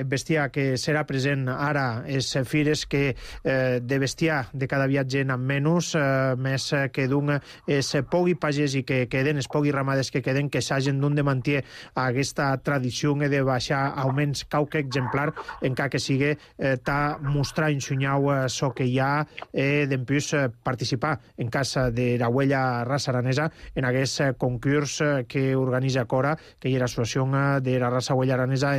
bestiar que serà present ara és fires que de bestiar de cada viatge en menys, més que d'un es pogui pagès i que queden, es pogui ramaders que queden, que s'hagin d'un de mantenir aquesta tradició de baixar almenys qualque exemplar, encara que sigui ta mostrar en xunyau so que hi ha d'empús participar en casa de la huella raça aranesa en aquest concurs que organitza Cora, que hi ha l'associació de la raça huella aranesa,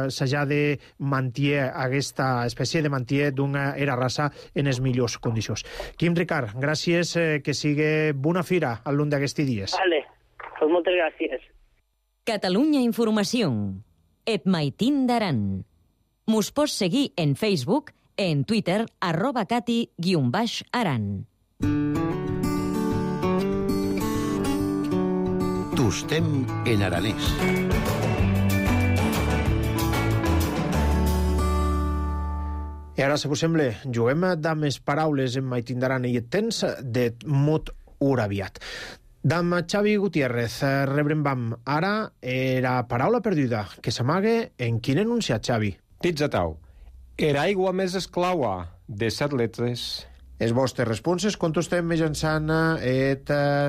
s'ha de mantenir aquesta espècie de mantenir d'una era raça en les millors condicions. Quim Ricard, gràcies, que sigui bona fira al lluny d'aquests dies. Vale, pues moltes gràcies. Catalunya Informació. Et maitin d'Aran. Mos pots seguir en Facebook, en Twitter, @cati_aran. Tustem en aranès. I ara, si us sembla, juguem amb les paraules en maitin d'aran i et tens de mot uraviat. D'am Xavi Gutiérrez, rebrembam ara la paraula perduda, que s'amaga en quin enunciat, Xavi? Titzatau. Era aigua més esclaua, de 7 letres. Les vostres responses contestem mitjançant el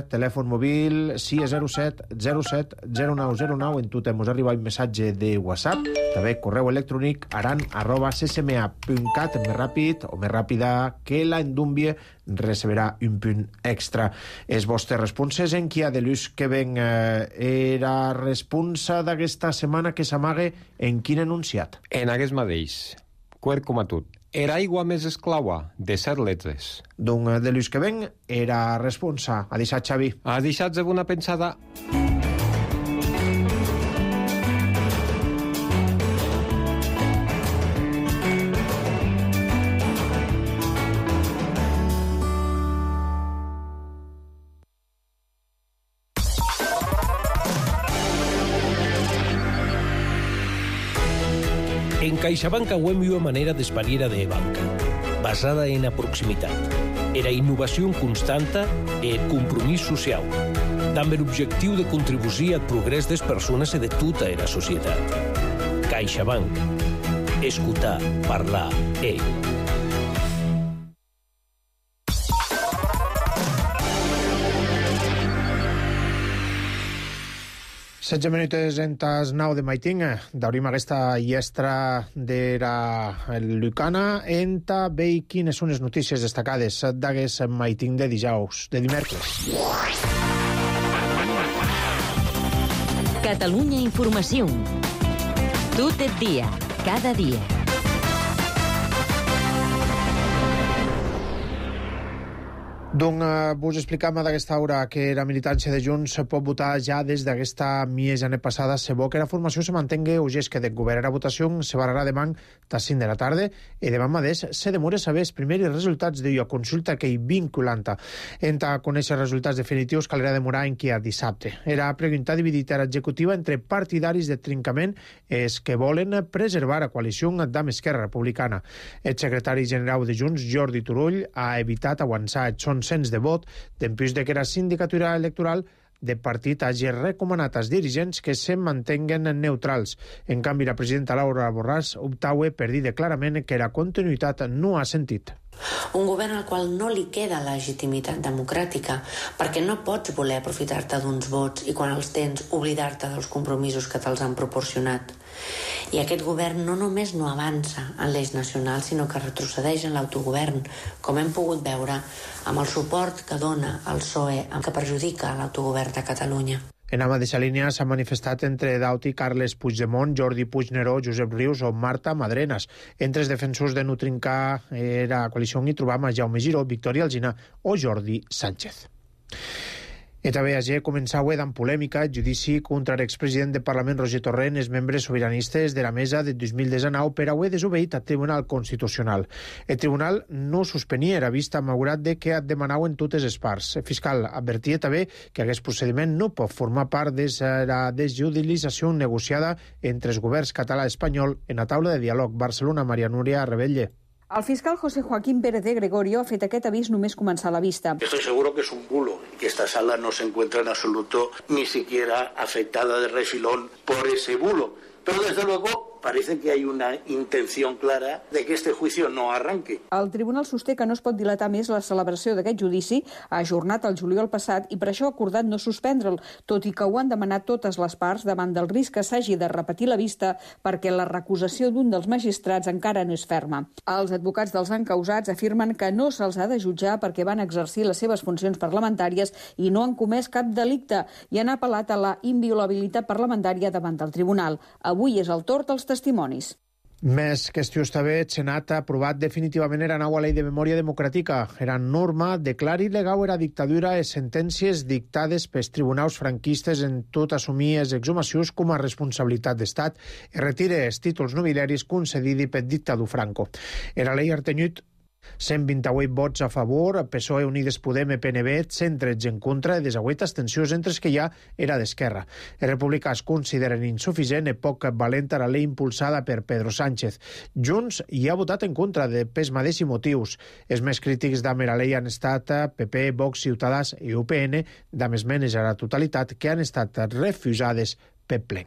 telèfon mòbil 607 07 0909. En tot ens arriba un missatge de WhatsApp, també correu electrònic aran@ccma.cat. Més ràpid o més ràpida que la endúmbia receberà un punt extra. Les vostres responses en qui ha de l'ús que ven era responsa d'aquesta setmana que s'amaga en quin enunciat? En aquest mateix. Quart com a tot. Era aigua més esclaua, de 7 letres. Doncs de l'ús que ven era responsa. Ha deixat, Xavi. Ha deixat de una pensada. CaixaBank auem una manera d'espariera de banca, basada en la proximitat. Era innovació constanta e compromís social, amb l'objectiu de contribuir al progrés des persones i de tota la societat. CaixaBank. Escutar, parlar, 16 minuts en tas 9 de maiting. Daurim aquesta llestra de la Lucana. Enta veig quines són les notícies destacades d'aguest maiting de dijous, de dimecres. Catalunya Informació. Tot el dia, cada dia. Doncs vos explicam d'aquesta hora que la militància de Junts pot votar ja des d'aquesta mitjana passada. Se vol que la formació se mantingui o que de govern. La votació se barrarà demà a 5 de la tarda i demà mateix se demora saber els primers resultats de la consulta que hi vinculanta. Enta conèixer els resultats definitius caldrà demorar en qui a dissabte. Era pregunta dividida a l'executiva entre partidaris de trincament els que volen preservar la coalició amb Esquerra Republicana. El secretari general de Junts, Jordi Turull, ha evitat avançar cens de vot dempús de que la sindicatura electoral de partit hagi recomanat als dirigents que se mantenguen neutrals. En canvi, la presidenta Laura Borràs optaue per dir clarament que la continuïtat no ha sentit. Un govern al qual no li queda legitimitat democràtica perquè no pots voler aprofitar-te d'uns vots i quan els tens oblidar-te dels compromisos que te'ls han proporcionat. I aquest govern no només no avança en l'eix nacional, sinó que retrocedeix en l'autogovern, com hem pogut veure amb el suport que dona el PSOE, que perjudica l'autogovern de Catalunya. En la mateixa línia s'ha manifestat entre Dauti, Carles Puigdemont, Jordi Puigneró, Josep Rius o Marta Madrenas. Entre els defensors de no trincar la coalició hi trobam a Jaume Giró, Victòria Alsina o Jordi Sánchez. I també ayer començava amb polèmica el judici contra l'expresident del Parlament Roger Torrent, els membres sobiranistes de la mesa de 2019 per haver desobeït al Tribunal Constitucional. El Tribunal no suspenia la vista malgrat de que demanaven totes les parts. El fiscal advertia també que aquest procediment no pot formar part de la desjudicialització negociada entre els governs català i espanyol en la taula de diàleg. Barcelona, Maria Núria Rebelle. El fiscal José Joaquín Pérez de Gregorio ha fet aquest avís només començar la vista. Estoy seguro que es un bulo y que esta sala no se encuentra en absoluto ni siquiera afectada de refilón por ese bulo. Pero desde luego parece que hay una intención clara de que este juicio no arranque. El tribunal sosté que no es pot dilatar més la celebració d'aquest judici, ajornat el juliol passat, i per això ha acordat no suspendre'l, tot i que ho han demanat totes les parts davant del risc que s'hagi de repetir la vista perquè la recusació d'un dels magistrats encara no és ferma. Els advocats dels encausats afirmen que no se'ls ha de jutjar perquè van exercir les seves funcions parlamentàries i no han comès cap delicte i han apel·lat a la inviolabilitat parlamentària davant del tribunal. Avui és el torn dels testimonis. Més qüestions també, el Senat ha aprovat definitivament la nova llei de memòria democràtica. La norma declara il·legal la dictadura i sentències dictades pels tribunals franquistes en tot assumir les exhumacions com a responsabilitat d'Estat i retira els títols nobiliaris concedits per dictador Franco. La llei ha tenut 128 vots a favor, PSOE, Unides Podem, PNB, 113 en contra i 18 abstencions, entre els que hi ha era d'Esquerra. Els republicans consideren insuficient i poc valenta la llei impulsada per Pedro Sánchez. Junts hi ha votat en contra de pels mateixos motius. Els més crítics de la llei han estat PP, Vox, Ciutadans i UPN, amb esmenes a la totalitat que han estat refusades per ple.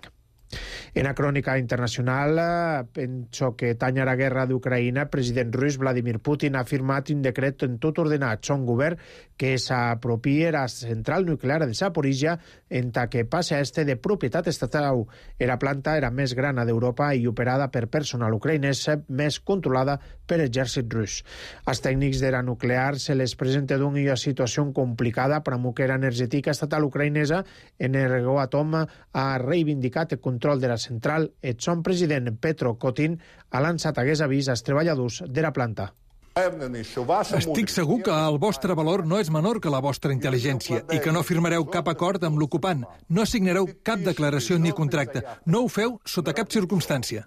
En la crònica internacional, penso que tanya la guerra d'Ucraïna, el president rus Vladimir Putin ha firmat un decret en tot ordenar son govern que s'apropie la central nuclear de Zaporizhia en ta que passa a de propietat estatal. La planta era més gran d'Europa i operada per personal ucraïnès, més controlada per l'exèrcit rus. Als tècnics de la nuclear se les presenta una situació complicada per a la energètica estatal ucraïnesa. Energoatom ha reivindicat el control de la central. El son president Petro Kotin ha lançat aquest avís als treballadors de la planta. Estic segur que el vostre valor no és menor que la vostra intel·ligència i que no firmareu cap acord amb l'ocupant, no signareu cap declaració ni contracte. No ho feu sota cap circumstància.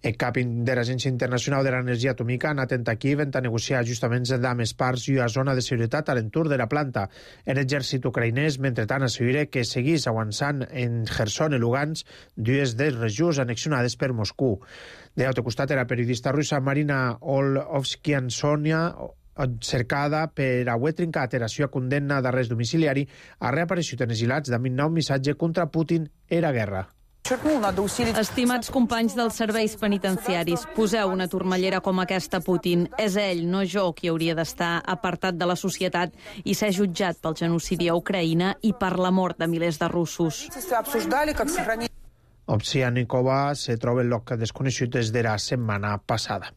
El cap de l'Agència Internacional de l'Energia Atòmica ha anat a Kiev a negociar ajustaments amb les parts i una zona de seguretat a l'entorn de la planta. L'exèrcit ucraïnès, mentrestant, assegura que seguís avançant en Kherson i Lugansk, dues de les regions annexionades per Moscou. De l'altre costat, la periodista russa Marina Olofskiansonia, cercada per haver trincat la seva condemna d'arrest domiciliari, ha reaparegut en exilats amb un nou missatge contra Putin i la guerra. Estimats companys dels serveis penitenciaris, poseu una turmellera com aquesta a Putin. És ell, no jo, qui hauria d'estar apartat de la societat i ser jutjat pel genocidi a Ucraïna i per la mort de milers de russos. Ovsianikova se troba en lloc desconegut des de la setmana passada.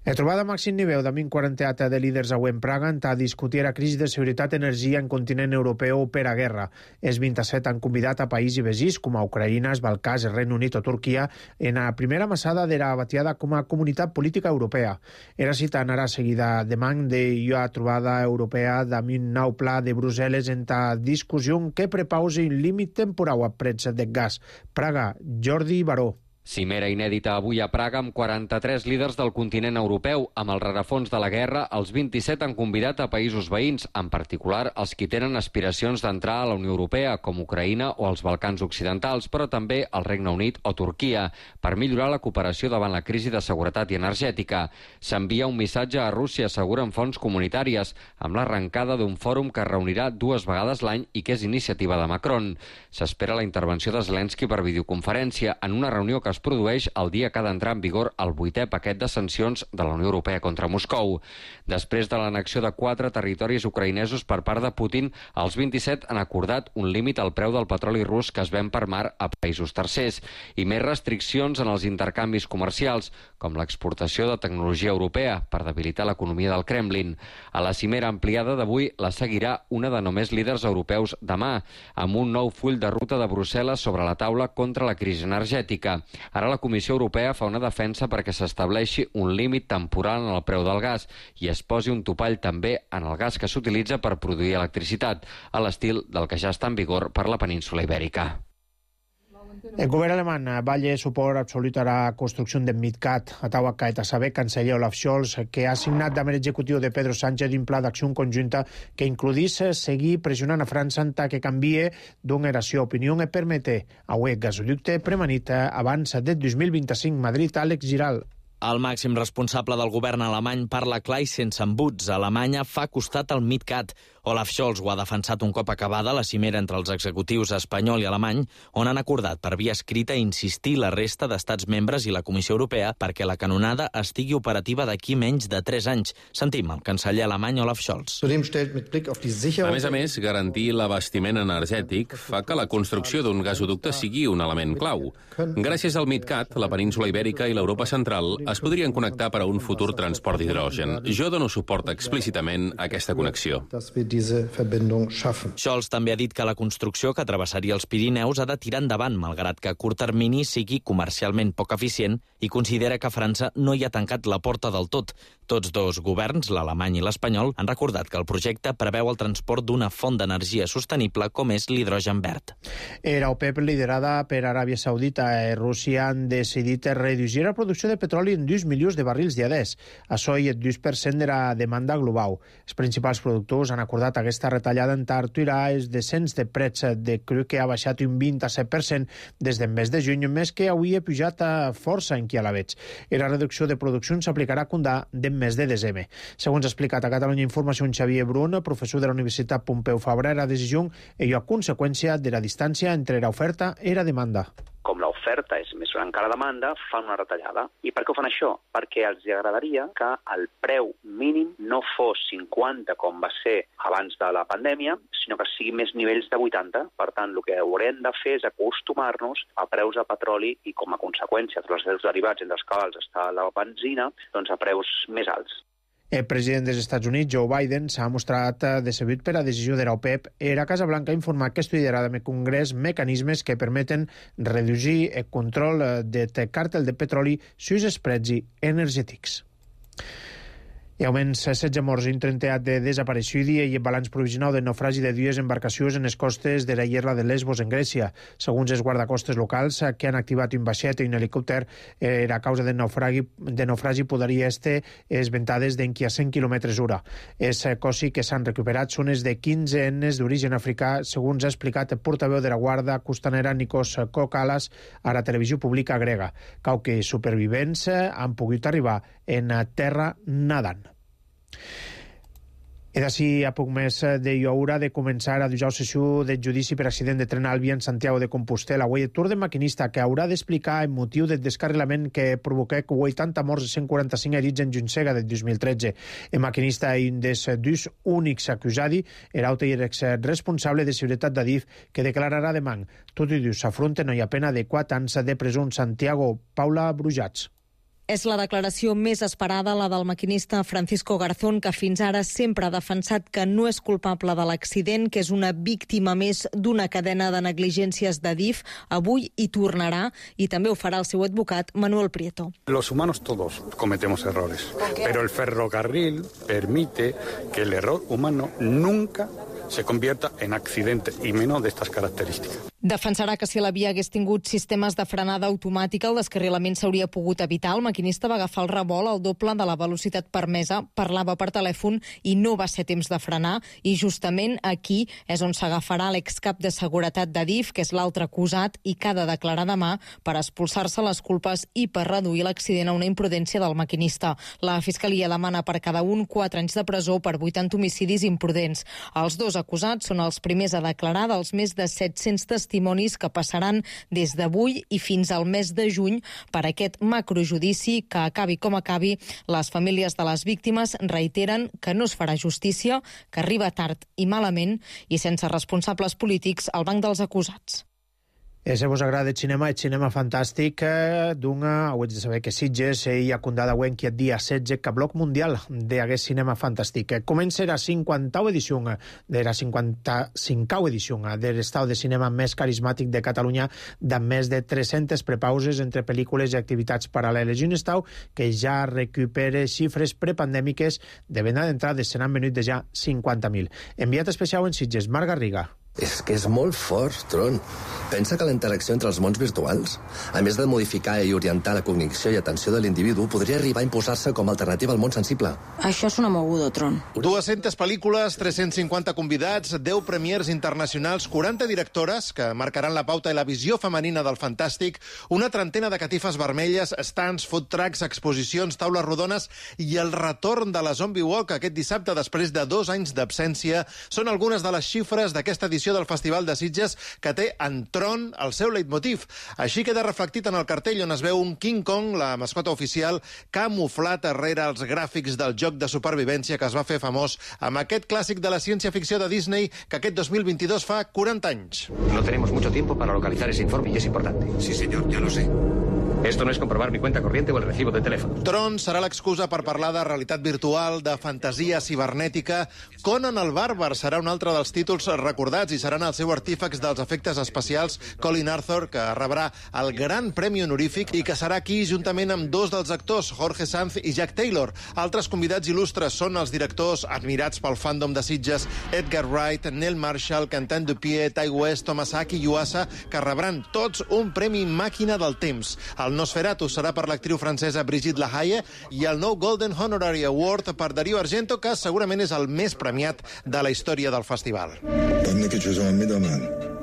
La trobada màxim nivell de 40 de líders avui en Praga a discutir la crisi de seguretat i energia en continent europeu per a guerra. Els 27 han convidat a països veïns com a Ucraïna, els Balcans, el Regne Unit o Turquia en la primera massada de la batiada com a comunitat política europea. Era cita anarà seguida demà d'una trobada europea amb un nou pla de Brussel·les en ta discussió que prepausi un límit temporal a preus del gas. Praga, Jordi Baró. Cimera inèdita avui a Praga amb 43 líders del continent europeu. Amb el rerefons de la guerra, els 27 han convidat a països veïns, en particular els que tenen aspiracions d'entrar a la Unió Europea, com Ucraïna o els Balcans Occidentals, però també el Regne Unit o Turquia, per millorar la cooperació davant la crisi de seguretat i energètica. S'envia un missatge a Rússia, asseguren fonts comunitàries, amb l'arrencada d'un fòrum que es reunirà 2 vegades l'any i que és iniciativa de Macron. S'espera la intervenció de Zelensky per videoconferència en una reunió que es produeix el dia que ha d'entrar en vigor el 8è paquet de sancions de la Unió Europea contra Moscou. Després de l'annexió de 4 territoris ucraïnesos per part de Putin, els 27 han acordat un límit al preu del petroli rus que es ven per mar a països tercers i més restriccions en els intercanvis comercials, com l'exportació de tecnologia europea per debilitar l'economia del Kremlin. A la cimera ampliada d'avui la seguirà una de només líders europeus demà, amb un nou full de ruta de Brussel·les sobre la taula contra la crisi energètica. Ara la Comissió Europea fa una defensa perquè s'estableixi un límit temporal en el preu del gas i es posi un topall també en el gas que s'utilitza per produir electricitat, a l'estil del que ja està en vigor per la península Ibèrica. El govern alemany balla suport absolut a la construcció del MidCat. A taua caet a saber canceller Olaf Scholz, que ha signat amb l'executiu de Pedro Sánchez un pla d'acció conjunta que includís seguir pressionant a França que canvie d'una eració opinió i permete a un gasoducte premanit abans del 2025. Madrid, Àlex Giral. El màxim responsable del govern alemany parla clar i sense embuts. Alemanya fa costat al MidCat. Olaf Scholz ho ha defensat un cop acabada la cimera entre els executius espanyol i alemany, on han acordat per via escrita insistir la resta d'estats membres i la Comissió Europea perquè la canonada estigui operativa d'aquí menys de 3 anys. Sentim el canceller alemany Olaf Scholz. A més, garantir l'abastiment energètic fa que la construcció d'un gasoducte sigui un element clau. Gràcies al MidCat, la península Ibèrica i l'Europa central es podrien connectar per a un futur transport d'hidrogen. Jo dono suport explícitament a aquesta connexió. Scholz també ha dit que la construcció que travessaria els Pirineus ha de tirar endavant, malgrat que a curt termini sigui comercialment poc eficient, i considera que França no hi ha tancat la porta del tot. Tots dos governs, l'alemany i l'espanyol, han recordat que el projecte preveu el transport d'una font d'energia sostenible com és l'hidrogen verd. Era OPEP, liderada per Aràbia Saudita i Rússia, han decidit reduir la producció de petroli en 2 milions de barrils diàries. Això és el 2% de la demanda global. Els principals productors han acordat aquesta retallada en aturar els descens de preus de cru que ha baixat un 27% des del mes de juny, més que avui ha pujat a força en qui a la veig. I la reducció de producció s'aplicarà a comptar del mes de desembre. Segons ha explicat a Catalunya Informació Xavier Brun, professor de la Universitat Pompeu Fabra, la decisió és a conseqüència de la distància entre l'oferta i la demanda. Com l'oferta és més gran que la demanda, fan una retallada. I per què ho fan això? Perquè els agradaria que el preu mínim no fos 50, com va ser abans de la pandèmia, sinó que sigui més nivells de 80. Per tant, el que haurem de fer és acostumar-nos a preus de petroli i, com a conseqüència, dels seus derivats, entre els quals està la benzina, doncs a preus més alts. El president dels Estats Units, Joe Biden, s'ha mostrat decebut per la decisió de l'OPEP i la Casa Blanca ha informat que estudiarà en el Congrés mecanismes que permeten reduir el control del càrtel de petroli sus els preus energètics. Hi ha almenys 16 morts i un 30 de desapareixudi i el balanç provisional del naufragi de dues embarcacions en les costes de la Illa de Lesbos, en Grècia. Segons els guardacostes locals, que han activat un vaixet i un helicòpter, a causa del naufragi podria estar ventades d'enqui a 100 km/h. Els cossi que s'han recuperat són els de 15 etnes d'origen africà, segons ha explicat el portaveu de la Guàrdia Costanera Nikos Kokalas a la televisió pública grega. Cau que supervivents han pogut arribar en terra nadant. I d'ací a poc més d'ahir haurà de començar a dujar la sessió del judici per accident de tren Alvia en Santiago de Compostela. Avui el tour de maquinista que haurà d'explicar el motiu del descarrilament que provoquà 80 morts i 145 herits en Juntsega del 2013. El maquinista i un dels dos únics acusats era el responsable de seguretat d'Adif, que declararà demà. Tots i dos s'afronten a pena de 4 anys de presó en Santiago. Paula Brujats. És la declaració més esperada, la del maquinista Francisco Garzón, que fins ara sempre ha defensat que no és culpable de l'accident, que és una víctima més d'una cadena de negligències d'Adif. Avui hi tornarà i també ho farà el seu advocat Manuel Prieto. Los humanos todos cometemos errores, pero el ferrocarril permite que el error humano nunca se convierta en accidente, y menos de estas características. Defensarà que si la via hagués tingut sistemes de frenada automàtica, el descarrilament s'hauria pogut evitar. El maquinista va agafar el revolt al doble de la velocitat permesa, parlava per telèfon i no va ser temps de frenar, i justament aquí és on s'agafarà l'excap de seguretat d'Adif, que és l'altre acusat i que ha de declarar demà per expulsar-se les culpes i per reduir l'accident a una imprudència del maquinista. La Fiscalia demana per cada un 4 anys de presó per 80 homicidis imprudents. Els dos acusats són els primers a declarar dels més de 700 testimonis que passaran des d'avui i fins al mes de juny per aquest macrojudici que, acabi com acabi, les famílies de les víctimes reiteren que no es farà justícia, que arriba tard i malament i sense responsables polítics al banc dels acusats. Si vos agrada el cinema fantàstic, ho ets de saber que Sitges hi ha condat avui que el dia 16 que bloc mundial d'aquest cinema fantàstic. Comença la 50a edició de la 55a edició de l'estat de cinema més carismàtic de Catalunya, amb més de 300 prepauses entre pel·lícules i activitats paral·leles. I un estat que ja recupera xifres prepandèmiques de venda d'entrades, se n'han venut de ja 50.000. Enviat especial en Sitges, Marc Garriga. És que és molt fort, Tron. Pensa que la interacció entre els mons virtuals, a més de modificar i orientar la cognició i atenció de l'individu, podria arribar a imposar-se com a alternativa al món sensible. Això és una moguda, Tron. 200 pel·lícules, 350 convidats, 10 premiers internacionals, 40 directores que marcaran la pauta i la visió femenina del fantàstic, una trentena de catifes vermelles, stands, food trucks, exposicions, taules rodones i el retorn de la Zombie Walk aquest dissabte després de 2 anys d'absència són algunes de les xifres d'aquesta edició del Festival de Sitges, que té en Tron el seu leitmotiv. Així queda reflectit en el cartell, on es veu un King Kong, la mascota oficial, camuflat darrere els gràfics del joc de supervivència que es va fer famós amb aquest clàssic de la ciència-ficció de Disney que aquest 2022 fa 40 anys. No tenemos mucho tiempo para localizar ese informe y es importante. Sí, señor, ya lo sé. Esto no es comprobar mi cuenta corriente o el recibo de teléfono. Tron serà l'excusa per parlar de realitat virtual, de fantasia cibernètica. Conan el Bàrbar serà un altre dels títols recordats i seran el seu artífex dels efectes especials, Colin Arthur, que rebrà el gran premi honorífic i que serà aquí juntament amb 2 dels actors, Jorge Sanz i Jack Taylor. Altres convidats il·lustres són els directors admirats pel fandom de Sitges, Edgar Wright, Neil Marshall, Quentin Dupieux, Ty West, Tomasaki Yuasa, que rebran tots un premi màquina del temps. El Nosferatu serà per l'actriu francesa Brigitte Lahaie i el nou Golden Honorary Award per Dario Argento, que segurament és el més premiat de la història del festival. 밤늦게 죄송합니다만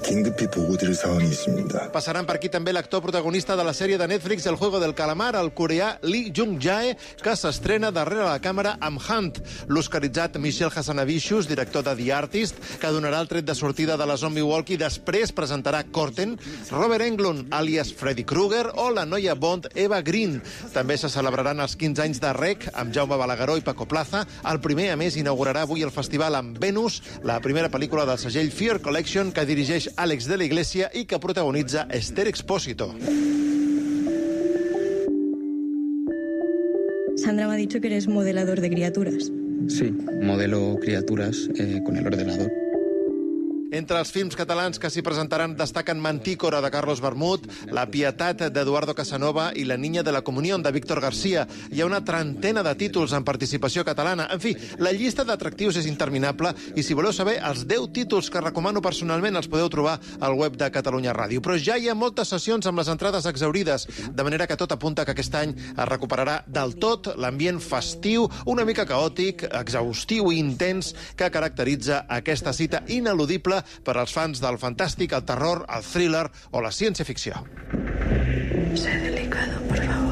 긴급히 보고드릴 사항이 있습니다. Passaran per aquí també l'actor protagonista de la sèrie de Netflix El Juego del Calamar, el coreà Lee Jung-jae, que s'estrena darrere la càmera amb Hunt. L'oscaritzat Michel Hazanavicius, director de The Artist, que donarà el tret de sortida de la Zombie Walk i després presentarà Corten, Robert Englund, àlies Freddy Krueger, o la noia Bond Eva Green. També se celebraran els 15 anys de REC amb Jaume Balagueró i Paco Plaza. El primer, a més, inaugurarà avui el festival amb Venus, la primera pel·lícula del segell Fear Collection, que dirigeix Àlex de la Iglesia i que protagonitza Esther Expósito. Sandra me ha dicho que eres modelador de criaturas. Sí, modelo criaturas con el ordenador. Entre els films catalans que s'hi presentaran destaquen Mantícora, de Carlos Bermud, La Pietat, d'Eduardo Casanova i La Niña de la Comunión, de Víctor García. Hi ha una trentena de títols en participació catalana. En fi, la llista d'atractius és interminable i si voleu saber els 10 títols que recomano personalment els podeu trobar al web de Catalunya Ràdio. Però ja hi ha moltes sessions amb les entrades exhaurides, de manera que tot apunta que aquest any es recuperarà del tot l'ambient festiu, una mica caòtic, exhaustiu i intens que caracteritza aquesta cita ineludible per als fans del fantàstic, el terror, el thriller o la ciència-ficció. Sé delicado, por favor.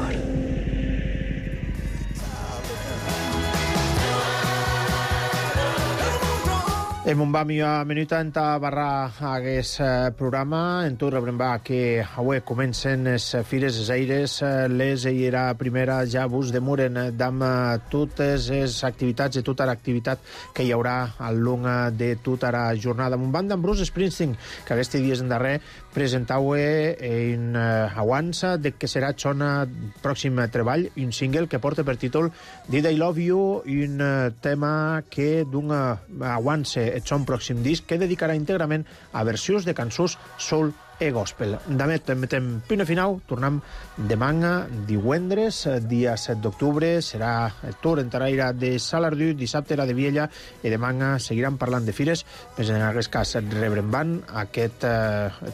Em un bami a minuta en barra hagués programa, en tot rebrem que avui comencen les fires les aires, les era primera ja vos demoren d'am totes les activitats i tota l'activitat que hi haurà al long de tota la jornada. Amb un band d'en Bruce Springsteen, que aquests dies en darrer presentau en avança de que serà el son pròxim treball, un single que porta per títol Did I Love You, un tema que dona avança el son pròxim disc que dedicarà íntegrament a versions de cançons soul e gospel. D'amet metem punt final, tornem demà, divendres, dia 7 d'octubre, serà el torn en Taraire de Salardú, dissabte era de Viella, i demà seguiran parlant de fires, però en aquest cas rebrem aquest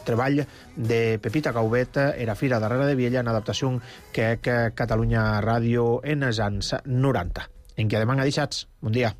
treball de Pepita Caubet, era Fira darrere de Viella, en adaptació que Catalunya Ràdio en els anys 90. En què demà deixats. Bon dia.